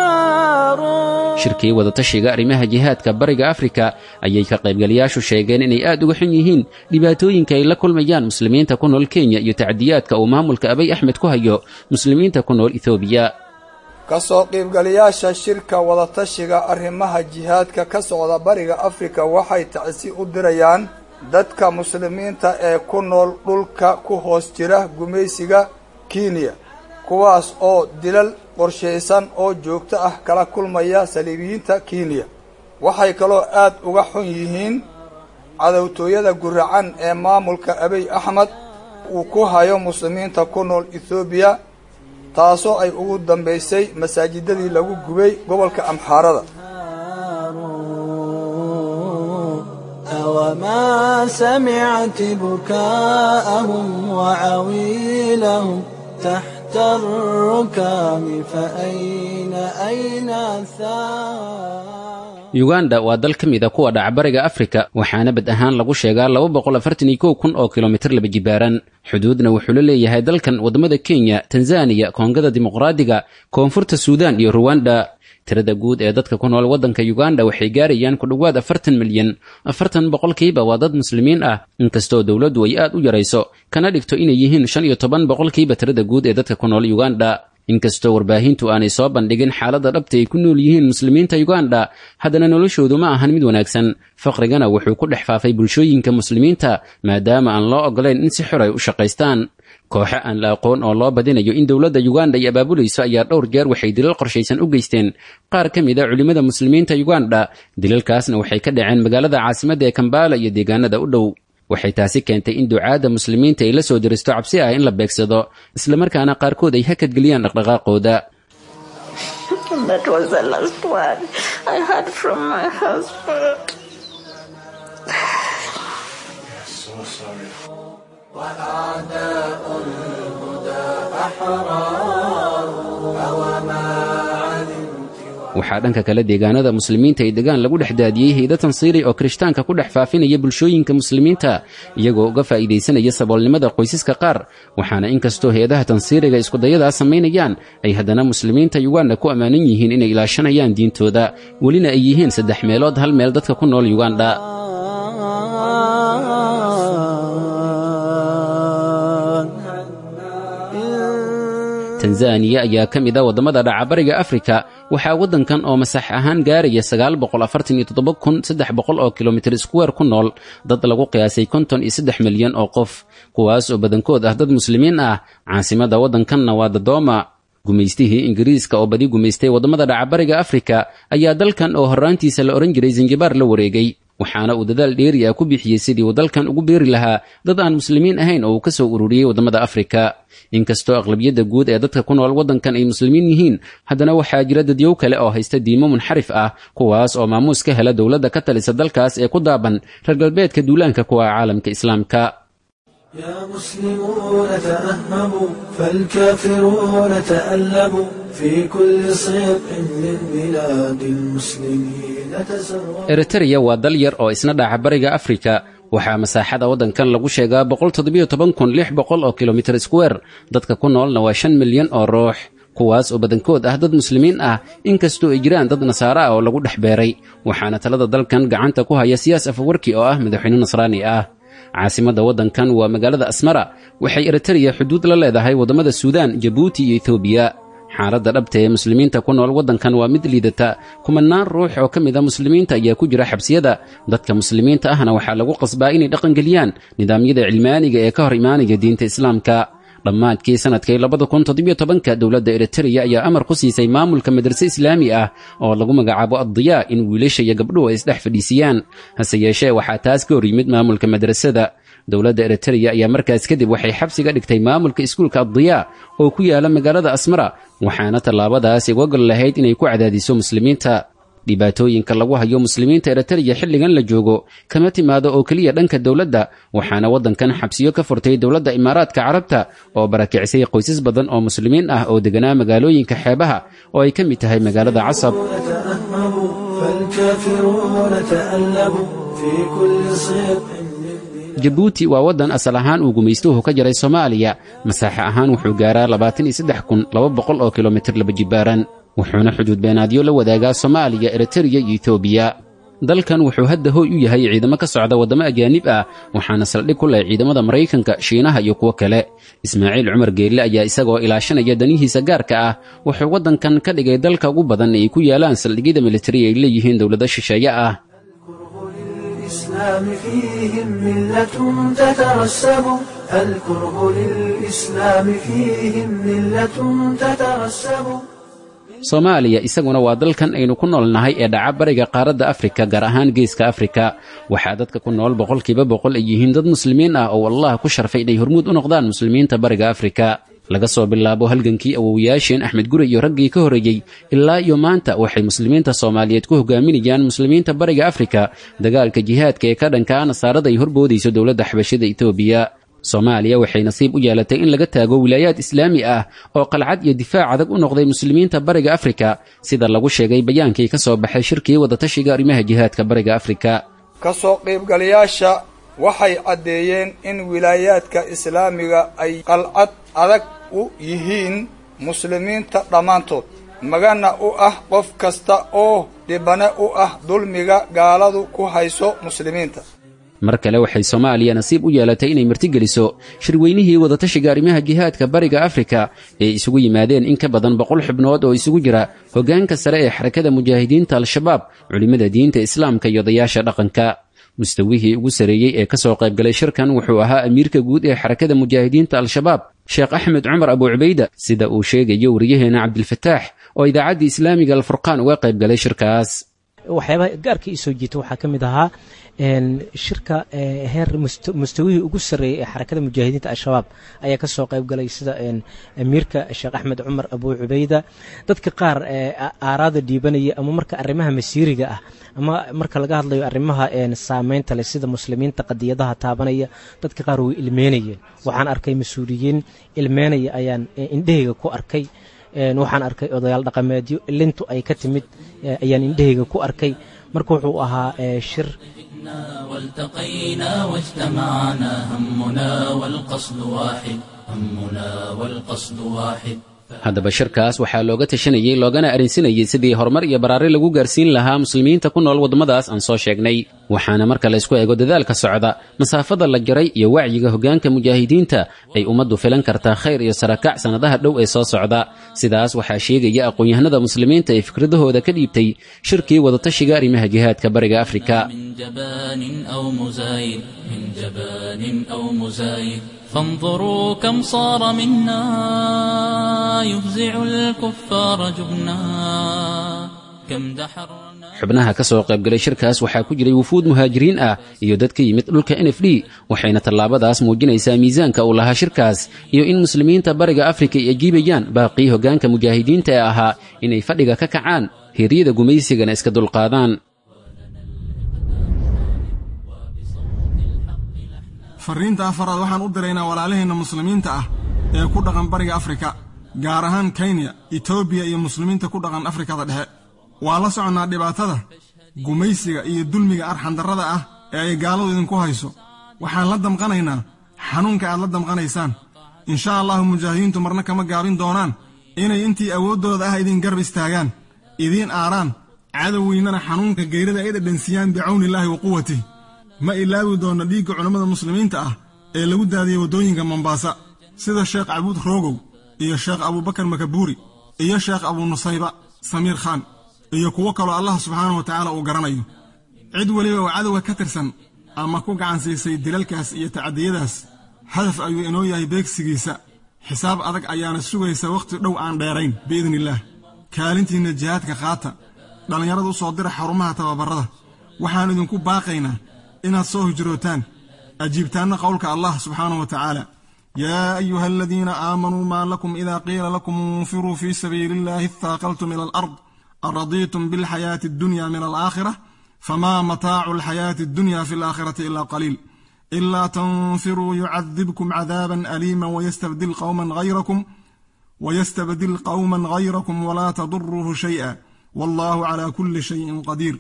J: أحجار.
B: Shirkii wadatashiga arrimaha jihaadka bariga Afrika ayay ka qaybgalayaashu sheegeen inay aad uga xun yihiin dhibaatooyinka ay la kulmayaan muslimiinta ku nool Kenya iyo tacdiyaadka uu maamulka Abay Axmed ku hayo muslimiinta ku nool Etoobiya.
N: Ka soo qaybgalayaasha shirka wadatashiga arrimaha jihaadka ka socda bariga Afrika waxay tacsi u dirayaan dadka muslimiinta ee ku nool dhulka ku hoos jira gumaysiga Kenya, kuwaas oo dilal qorshaysan oo joogto ah kala kulmaya saliibiyiinta Kenya. Waxay kaloo aad uga xun yihiin cadowtooyada guracan ee maamulka Abiy Axmed Uu ku hayo muslimiinta ku nool Ethoobiya, taasoo ay ugu dambaysay masaajidadii lagu gubay gobolka Amxaarada.
J: أوما سمعت بكاءهم وعويلهم تحت الركام فأين أين الثار.
B: Yuganda waa dal ka mid a kuwa dhacbariga Afrika, waxaana bad ahaan lagu sheegaa 241,000 oo kilomitir laba jibaaran. Xuduudna wuxuu la leeyahay dalkan waddamada Kenya, Tanzaniya, Koongada Dimuqraadiga, Koonfurta Suudaan iyo Ruwanda. Tirada guud ee dadka ku nool waddanka Yuganda waxay gaarayaan ku dhowaad 40 milyan. 40% waa dad muslimiin ah, inkastoo dowladdu ay aad u yarayso kana dhigto inay yihiin 15% tirada guud ee dadka ku nool Yuganda. Inkastoo warbaahintu aanay soo bandhigin xaaladda dhabta ay ku nool yihiin muslimiinta Yuganda, haddana noloshoodu ma ahan mid wanaagsan. Faqrigana wuxuu ku dhex faafay bulshooyinka muslimiinta, maadaama aan loo ogolayn in si xor ay u shaqaystaan. Kooxo aan la aqoon oo loo badinayo in dowladda Yuganda ay abaabulayso ayaa dhowr jeer waxay dilal qorshaysan u geysteen qaar ka mid a culimmada muslimiinta Yuganda. Dilalkaasna waxay ka dhaceen magaalada caasimadda ee Kambala iyo deegaanada u dhow. Waxay taasi keentay in ducaadda muslimiinta ay la soo diristo cabsi ah in la beegsado, islamarkaana qaarkood ay hakadgeliyaan dhaqdhaqaaqooda.
O: That was the last word I heard from my husband.
L: So sorry. وأعداء الهدى أحرار أوما علمت.
B: Waxaa dhanka kale deegaanada muslimiinta ay degaan lagu dhex daadiyey hay'ado tansiiri oo kirishtaanka ku dhex faafinaya bulshooyinka muslimiinta, iyagoo uga faa'iidaysanaya saboolnimada qoysaska qaar. Waxaana inkastoo hay-adaha tansiiriga iskudayadaa samaynayaan, ay haddana muslimiinta Yuganda ku ammaanan yihiin inay ilaashanayaan diintooda, welina ay yihiin saddex meelood hal meel dadka ku nool Yuganda. Tanzaniya ayaa ka mid a waddamada dhacabariga Afrika. Waxaa waddankan oo masax ahaan gaaraya 947,300 oo kilomitir square ku nool dad lagu qiyaasay 53 milyan oo qof, kuwaas oo badankood ah dad muslimiin ah. Caasimada waddankanna waa Dodoma. Gumaystihii Ingiriiska oo badi gumaystay waddamada dhacabariga Afrika ayaa dalkan oo horraantiisa la odhan jiray Zanjibaar la wareegay, waxaana uu dadaal dheeri ah ku bixiyey sidii uu dalkan ugu beeri lahaa dad aan muslimiin ahayn oo uu ka soo ururiyey waddamada Afrika. Inkastoo aqlabiyadda guud ee dadka ku nool waddankan ay muslimiin yihiin, haddana waxaa jira dadyow kale oo haysta diimo munxarif ah, kuwaas oo maamuus ka hela dowladda ka talisa dalkaas ee ku daaban reer galbeedka duulaanka kuwa caalamka islaamka.
L: يا مسلمون تأهبوا، فالكافرون تألبوا، في كل صدق من بلاد المسلمين تسربوا.
B: Eritreya waa dal yar oo isna dhaca bariga Afrika. Waxaa masaaxada waddankan lagu sheegaa 117,600 oo kilomitir square. Dadka ku noolna waa 5 milyan oo ruux, kuwaas oo badankood ah dad muslimiin ah, inkastoo ay jiraan dad nasaare ah oo lagu dhex beeray. Waxaana talada dalkan gacanta ku haya Siyaas Afawarki oo ah madaxweyne nasraani ah. Caasimadda waddankan waa magaalada Asmara. Waxay Eritreya xuduud la leedahay waddamada Suudaan, Jabuuti iyo Etoobiya. Xaaladda dhabta ee muslimiinta ku nool waddankan waa mid liidata. Kumanaan ruux oo ka mid a muslimiinta ayaa ku jira xabsiyada. Dadka muslimiinta ahna waxaa lagu qasbaa inay dhaqangeliyaan nidaamyada cilmaaniga ee ka hor imaanaya diinta islaamka. Dhammaadkii sanadkii 2017-ka, dowladda Eritreya ayaa amar ku siisay maamulka madrase islaami ah oo lagu magacaabo Addiyaa in wiilasha iyo gabdhuhu ay isdhex fadhiisiyaan. Hase yeeshee, waxaa taas ka hor yimid maamulka madrasada. Dowladda Eritreya ayaa markaas kadib waxay xabsiga dhigtay maamulka iskuulka Addiyaa oo ku yaala magaalada Asmara, waxaana tallaabadaas uga gol lahayd inay ku cadaadiso muslimiinta. Dhibaatooyinka lagu hayo muslimiinta Eritreya xilligan la joogo kama timaado oo keliya dhanka dowladda. Waxaana waddankan xabsiyo ka furtay dowladda Imaaraadka Carabta oo barakicisay qoysas badan oo muslimiin ah oo deganaa magaalooyinka xeebaha oo ay ka mid tahay magaalada Casab.
L: تأهبوا، فالكافرون تألبوا، في كل صدق.
B: Jabuuti waa waddan asal ahaan uu gumaystuhu ka jaray Soomaaliya. Masaaxe ahaan wuxuu gaaraa 23,200 oo kilomitir laba jibaaran, wuxuuna xuduud beenaadyo la wadaagaa Soomaaliya, Eritreya iyo Etoobiya. Dalkan wuxuu hadda hooy u yahay ciidamo ka socda waddamo ajaanib ah, waxaana saldhig ku leh ciidamada Maraykanka, Shiinaha iyo kuwo kale. Ismaaciil Cumar Geelle ayaa isagoo ilaashanaya danihiisa gaarka ah wuxuu waddankan ka dhigay dalka ugu badan ay ku yaalaan saldhigyada militari ay leeyihiin dowlado shisheeye ah.
L: الإسلام فيهم ملة تترسب، الكره للإسلام فيهم ملة تترسب.
B: Soomaaliya isaguna waa dalkan aynu ku noolnahay ee dhaca bariga qaaradda Afrika, gaar ahaan geeska Afrika. Waxaa dadka ku nool 100% ay yihiin dad muslimiin ah oo Allah ku sharfay inay hormuud u noqdaan muslimiinta bariga Afrika. Laga soo bilaabo halgankii awowayaasheen Axmed Guri iyo raggii ka horreeyey ilaa iyo maanta, waxay muslimiinta Soomaaliyeed ku hogaaminayaan muslimiinta bariga Afrika dagaalka jihaadka ee ka dhankaa nasaarada ay horboodayso dowladda xabashida Etoobiya. Soomaaliya waxay nasiib u yeelatay in laga taago wilaayaad islaami ah oo qalcad iyo difaac adag u noqday muslimiinta bariga Afrika, sida lagu sheegay bayaankii ka soo baxay shirkii wadatashiga arrimaha jihaadka bariga Afrika.
N: Ka soo qaybgalayaasha waxay caddeeyeen in wilaayaadka islaamiga ay qalcad adag u yihiin muslimiinta dhammaantood, magana u ah qof kasta oo dhibane u ah dulmiga gaaladu ku hayso muslimiinta.
B: Mar kale waxay Soomaaliya nasiib u yeelatay inay martigeliso shirweynihii wadatashiga arrimaha jihaadka bariga Afrika ee isugu yimaadeen in ka badan 100 xubnood oo isugu jira hoggaanka sare ee xarakada mujaahidiinta Al-Shabaab, culimmada diinta islaamka iyo odayaasha dhaqanka. Mustawihii ugu sareeyey ee ka soo qaybgalay shirkan wuxuu ahaa amiirka guud ee xarakada mujaahidiinta Al-Shabaab, Sheekh Axmed Cumar Abu Cubayda, sida uu sheegayo wariyaheena Cabdilfataax oo idaacadda islaamiga Alfurqaan uga qaybgalay shirkaas.
H: Waxyaabaha gaarka ii soo jiita waxaa ka mid ahaa shirka heer mustawihii ugu sarreeyey ee xarakada mujaahidiinta Al-Shabaab ayaa ka soo qayb galay, sida amiirka Sheekh Axmed Cumar Abu Cubayda. Dadka qaar aaraada dhiibanaya ama marka arrimaha masiiriga ah ama marka laga hadlayo arrimaha saameynta leh sida muslimiinta qadiyadaha taabanaya, dadka qaar way ilmeynayeen. Waxaan arkay mas-uuliyiin ilmeynaya ayaan indhahayga ku arkay. Waxaan arkay odayaal dhaqameedyo ilintu ay ka timid ayaan indhahayga ku arkay. Marka wuxuu ahaa shir
P: والتقينا واجتمعنا، همنا والقصد واحد، همنا والقصد واحد.
B: Haddaba shirkaas waxaa looga tashanayey loogana arrinsanayey sidii horumar iyo baraari lagu gaarsiin lahaa muslimiinta ku nool waddamadaas aan soo sheegnay. Waxaana marka la isku eego dadaalka socda, masaafada la jaray iyo wacyiga hoggaanka mujaahidiinta, ay ummaddu filan kartaa khayr iyo sarakac sannadaha dhow ee soo socda. Sidaas waxaa sheegaya aqoon-yahanada muslimiinta ee fikradahooda ka dhiibtay shirkii wadatashiga arrimaha jihaadka bariga Afrika.
P: من جبان أو مزايد، من جبان أو مزايد، فانظروا كم صار منا يفزع الكفار جبنا، كم دحرنا.
B: Xubnaha ka soo qaybgalay shirkaas waxaa ku jiray wufuud muhaajiriin ah iyo dad ka yimid dhulka NFD, waxayna tallaabadaas muujinaysaa miisaanka uu lahaa shirkaas iyo in muslimiinta bariga Afrika ay ajiibayaan baaqii hoggaanka mujaahidiinta ee ahaa inay fadhiga ka kacaan, heeryada gumaysigana iska dulqaadaan.
Q: Farriinta afaraad waxaan u diraynaa walaalaheenna muslimiinta ah ee ku dhaqan bariga Afrika, gaar ahaan Kenya, Etoobiya iyo muslimiinta ku dhaqan Afrikada Dhexe. Waa la soconnaa dhibaatada gumaysiga iyo dulmiga arxandarrada ah ee ay gaaladu idinku hayso. Waxaan la damqanaynaa xanuunka aad la damqanaysaan. Insha allahu mujaahidiintu marna kama gaabin doonaan inay intii awooddooda ah idin garab istaagaan, idiin aaraan, cadowgiinnana xanuunka geyrida ay dhadhansiiyaan bicawnillaahi wa quwatih. Ma ilaawi doonno dhiigga culammada muslimiinta ah ee lagu daadiyey waddooyinka Mombaasa, sida Sheekh Cabuud Roogow iyo Sheekh Abuubakar Makabuuri iyo Sheekh Abuu Nusayba Samiir Khaan iyo kuwo kaloo Allah subxaanahu wa tacaala uu garanayo. Cid weliba oo cadowga ka tirsan ama ku gacan siisay dilalkaas iyo tacadiyadaas, hadaf ayuu inoo yahay beegsigiisa. Xisaab adag ayaana sugaysa wakhti dhow aan dheerayn biidniillaah. Kaalintiinna jihaadka qaata. Dhallinyarada u soo dira xarumaha tababarrada. Waxaan idinku baaqaynaa inaad soo hijrootaan, ajiibtaanna qowlka Allah subxaanahu wa tacaala: يا أيها الذين آمنوا، ما لكم إذا قيل لكم انفروا في سبيل الله اثاقلتم إلى الأرض، أرضيتم بالحياة الدنيا من الآخرة، فما متاع الحياة الدنيا في الآخرة إلا قليل. إلا تنفروا يعذبكم عذابا أليما ويستبدل قوما غيركم ولا تضروه شيئا، والله على كل شيء قدير.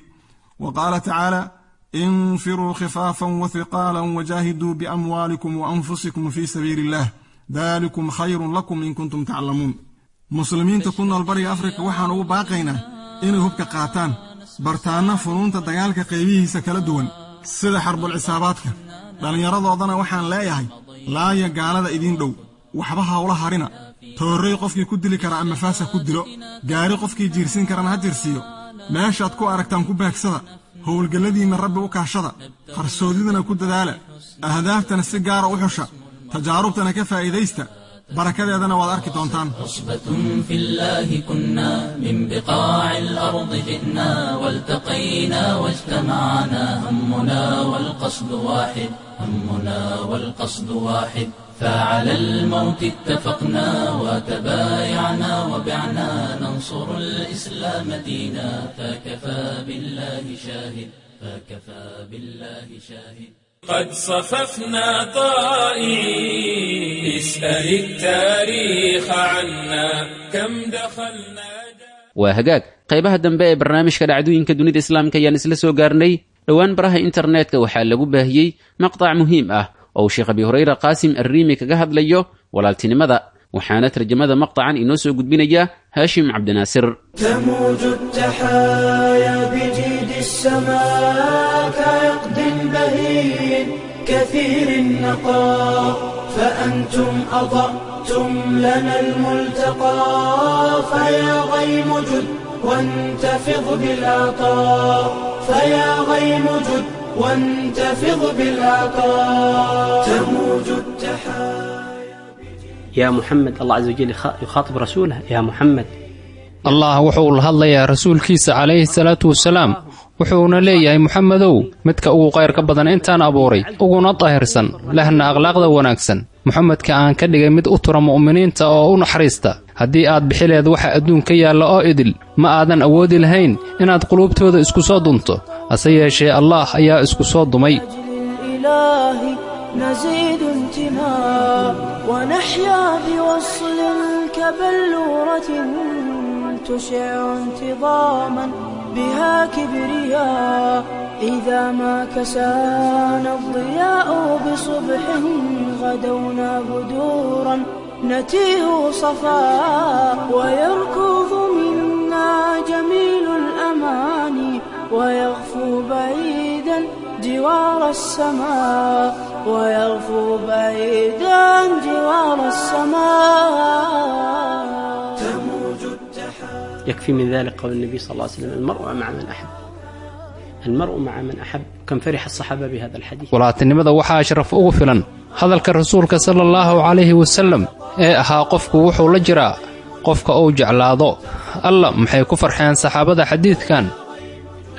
Q: وقال تعالى: انفروا خفافا وثقالا وجاهدوا بأموالكم وأنفسكم في سبيل الله، ذلكم خير لكم إن كنتم تعلمون. Muslimiinta ku nool bariga Afrika waxaan ugu baaqaynaa inay hubka qaataan, bartaanna funuunta dagaalka qaybihiisa kala duwan sida xarbul cisaabaadka. Dhallinyaradoodana waxaan leeyahay: laaya gaalada idiin dhow, waxba hawla harina. Toorrey qofkii ku dili kara ama faasa ku dilo, gaari qofkii jiirsin karana ha jirsiiyo. Meeshaad ku aragtaan ku beegsada. Howlgalladiinna Rabbi u kaashada, qarsoodidana ku dadaala, ahdaaftana si gaara u xusha, tajaarubtana ka faa'iidaysta. Barakadeedana waad arki doontaan.
P: عصبة في الله كنا من بقاع الأرض جئنا والتقينا واجتمعنا همنا والقصد واحد همنا والقصد واحد فعلى الموت اتفقنا وتبايعنا وبعنا ننصر الإسلام دينا فكفى بالله شاهد فكفى بالله شاهد.
A: قد صففنا طائعين اسأل التاريخ عنا كم دخلنا.
B: Waa hagaag, qaybaha dambe ee barnaamijka dhacdooyinka dunida islaamka ayaan isla soo gaarnay. Dhowaan baraha internetka waxaa lagu baahiyey maqtac muhiim ah oo uu Sheekh Abi Hurayra Qaasim Arriimi kaga hadlayo walaaltinimada, waxaana tarjamada maqtacan inoo soo gudbinaya Haashim Cabdinaasir.
L: تموج التحايا بجيد السماء كعقد بهين كثير النقاء، فأنتم أضأتم لنا الملتقى، فيا غيم جد وانتفض بالعطاء، فيا غيم جد وانتفض بالعطاء. تموج التحايا.
R: يا محمد، الله عز وجل يخاطب رسوله، يا محمد.
C: Allah wuxuu la hadlayaa rasuulkiisa calayhi salaatu wasalaam, wuxuuna leeyahay: Muxamedow, midka ugu qayrka badan intaan abuuray, uguna daahirsan, lehna akhlaaqda wanaagsan, Muxamedka aan ka dhigay mid u tura mu'miniinta oo u naxariista, haddii aad bixileed waxa adduunka yaalla oo idil, ma aadan awoodi lahayn inaad quluubtooda isku soo dunto, hase yeeshee Allaah ayaa isku soo dumay.
L: الإله نزيد انتماء ونحيا بوصل كبلورة تشع انتظاما بها كبرياء، إذا ما كسانا الضياء بصبح غدونا بدورا نتيه صفاء، ويركض منا جميل الأماني ويغفو بعيدا جوار السماء، ويغفو بعيدا جوار السماء. تموج التحاب.
R: يكفي من ذلك قول النبي صلى الله عليه وسلم: المرء مع من أحب، المرء مع من أحب. كم فرح الصحابة بهذا الحديث.
C: Walaaltinimada waxaa sharaf ugu filan hadalka rasuulka sala allahu calayhi wasallam ee ahaa: qofku wuxuu la jiraa qofka uu jeclaado. Alla, maxay ku farxeen saxaabada xadiidkan!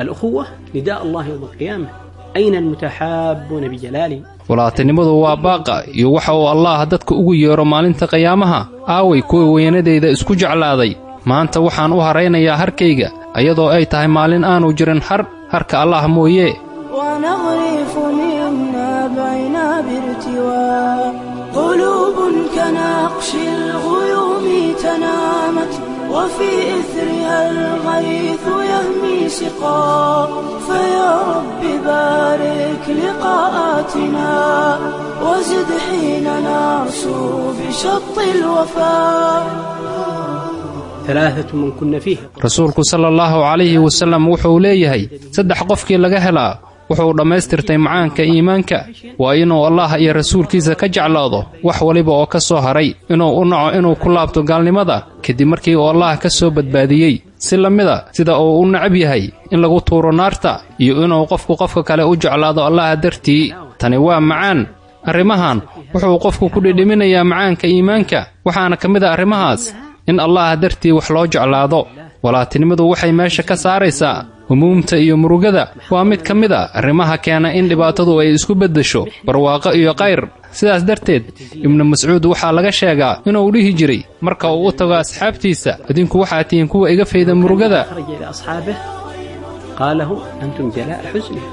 R: الأخوة نداء الله يوم القيامة: أين المتحابون بجلالي؟
C: Walaaltinimadu waa baaqa iyo waxa uu Allaah dadka ugu yeero maalinta qiyaamaha: aaway kuwa weynadayda isku jeclaaday? Maanta waxaan u haraynayaa harkayga, iyadoo ay tahay maalin aanu jirin har, harka Allaah mooye.
L: ونغرف منا بعنا بارتواء، قلوب كنقش الغيوم تنامت، وفي إثرها الغيث يهمي سقا، فيا رب بارك لقاءاتنا وزد حين نرسو بشط الوفاء.
R: ثلاثة من كن فيه.
C: Rasuulku sala allahu calayhi wasallam wuxuu leeyahay: saddex qofkii laga helaa wuxuu dhammaystirtay macaanka iimaanka. Waa inuu Allaah iyo rasuulkiisa ka jeclaado wax waliba oo ka soo haray, inuu u naco inuu ku laabto gaalnimada kadib markii uu Allaah ka soo badbaadiyey, si la mida sida uu u necab yahay in lagu tuuro naarta, iyo inuu qofku qofka kale u jeclaado Allaah dartii. Tani waa macaan. Arrimahan wuxuu qofku ku dhidhiminayaa macaanka iimaanka, waxaana ka mid a arrimahaas in Allaah dartii wax loo jeclaado. Walaaltinimadu waxay meesha ka saaraysaa humuumta iyo murugada. Waa mid ka mid a arrimaha keena in dhibaatadu ay isku beddesho barwaaqo iyo kayr. Sidaas darteed, Ibnu Mascuud waxaa laga sheegaa inuu dhihi jiray marka uu u tago asxaabtiisa: idinku waxaa tihiin kuwa iga fayda murugada.
R: خرج إلى أصحابه قال لهم: أنتم جلاء حزني.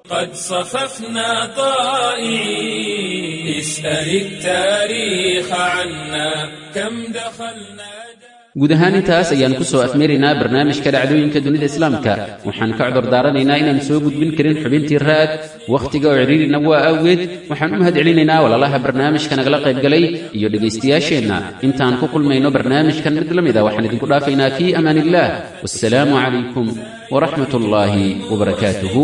A: قد صففنا طائعين اسأل التاريخ عنا كم دخلنا.
B: Guud ahaan intaas ayaan ku soo afmeeraynaa barnaamijka dhacdooyinka dunida islaamka. Waxaan ka cudur daaranaynaa inaan soo gudbin karin xubintii raad, wakhtiga oo cidhiirina waa awgeed. Waxaan u mahad celinaynaa walaalaha barnaamijka nagala qaybgalay iyo dhegaystayaasheenna. Intaan ku kulmayno barnaamijkan mid la mid a, waxaan idinku dhaafaynaa fii amaan illaah. Wassalaamu calaykum waraxmat ullaahi wabarakaatuhu.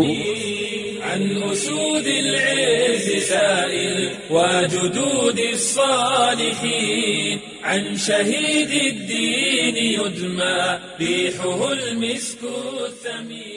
A: عن أسود العز سائل وجدود الصالحين، عن شهيد الدين يدمى ريحه المسك الثمين.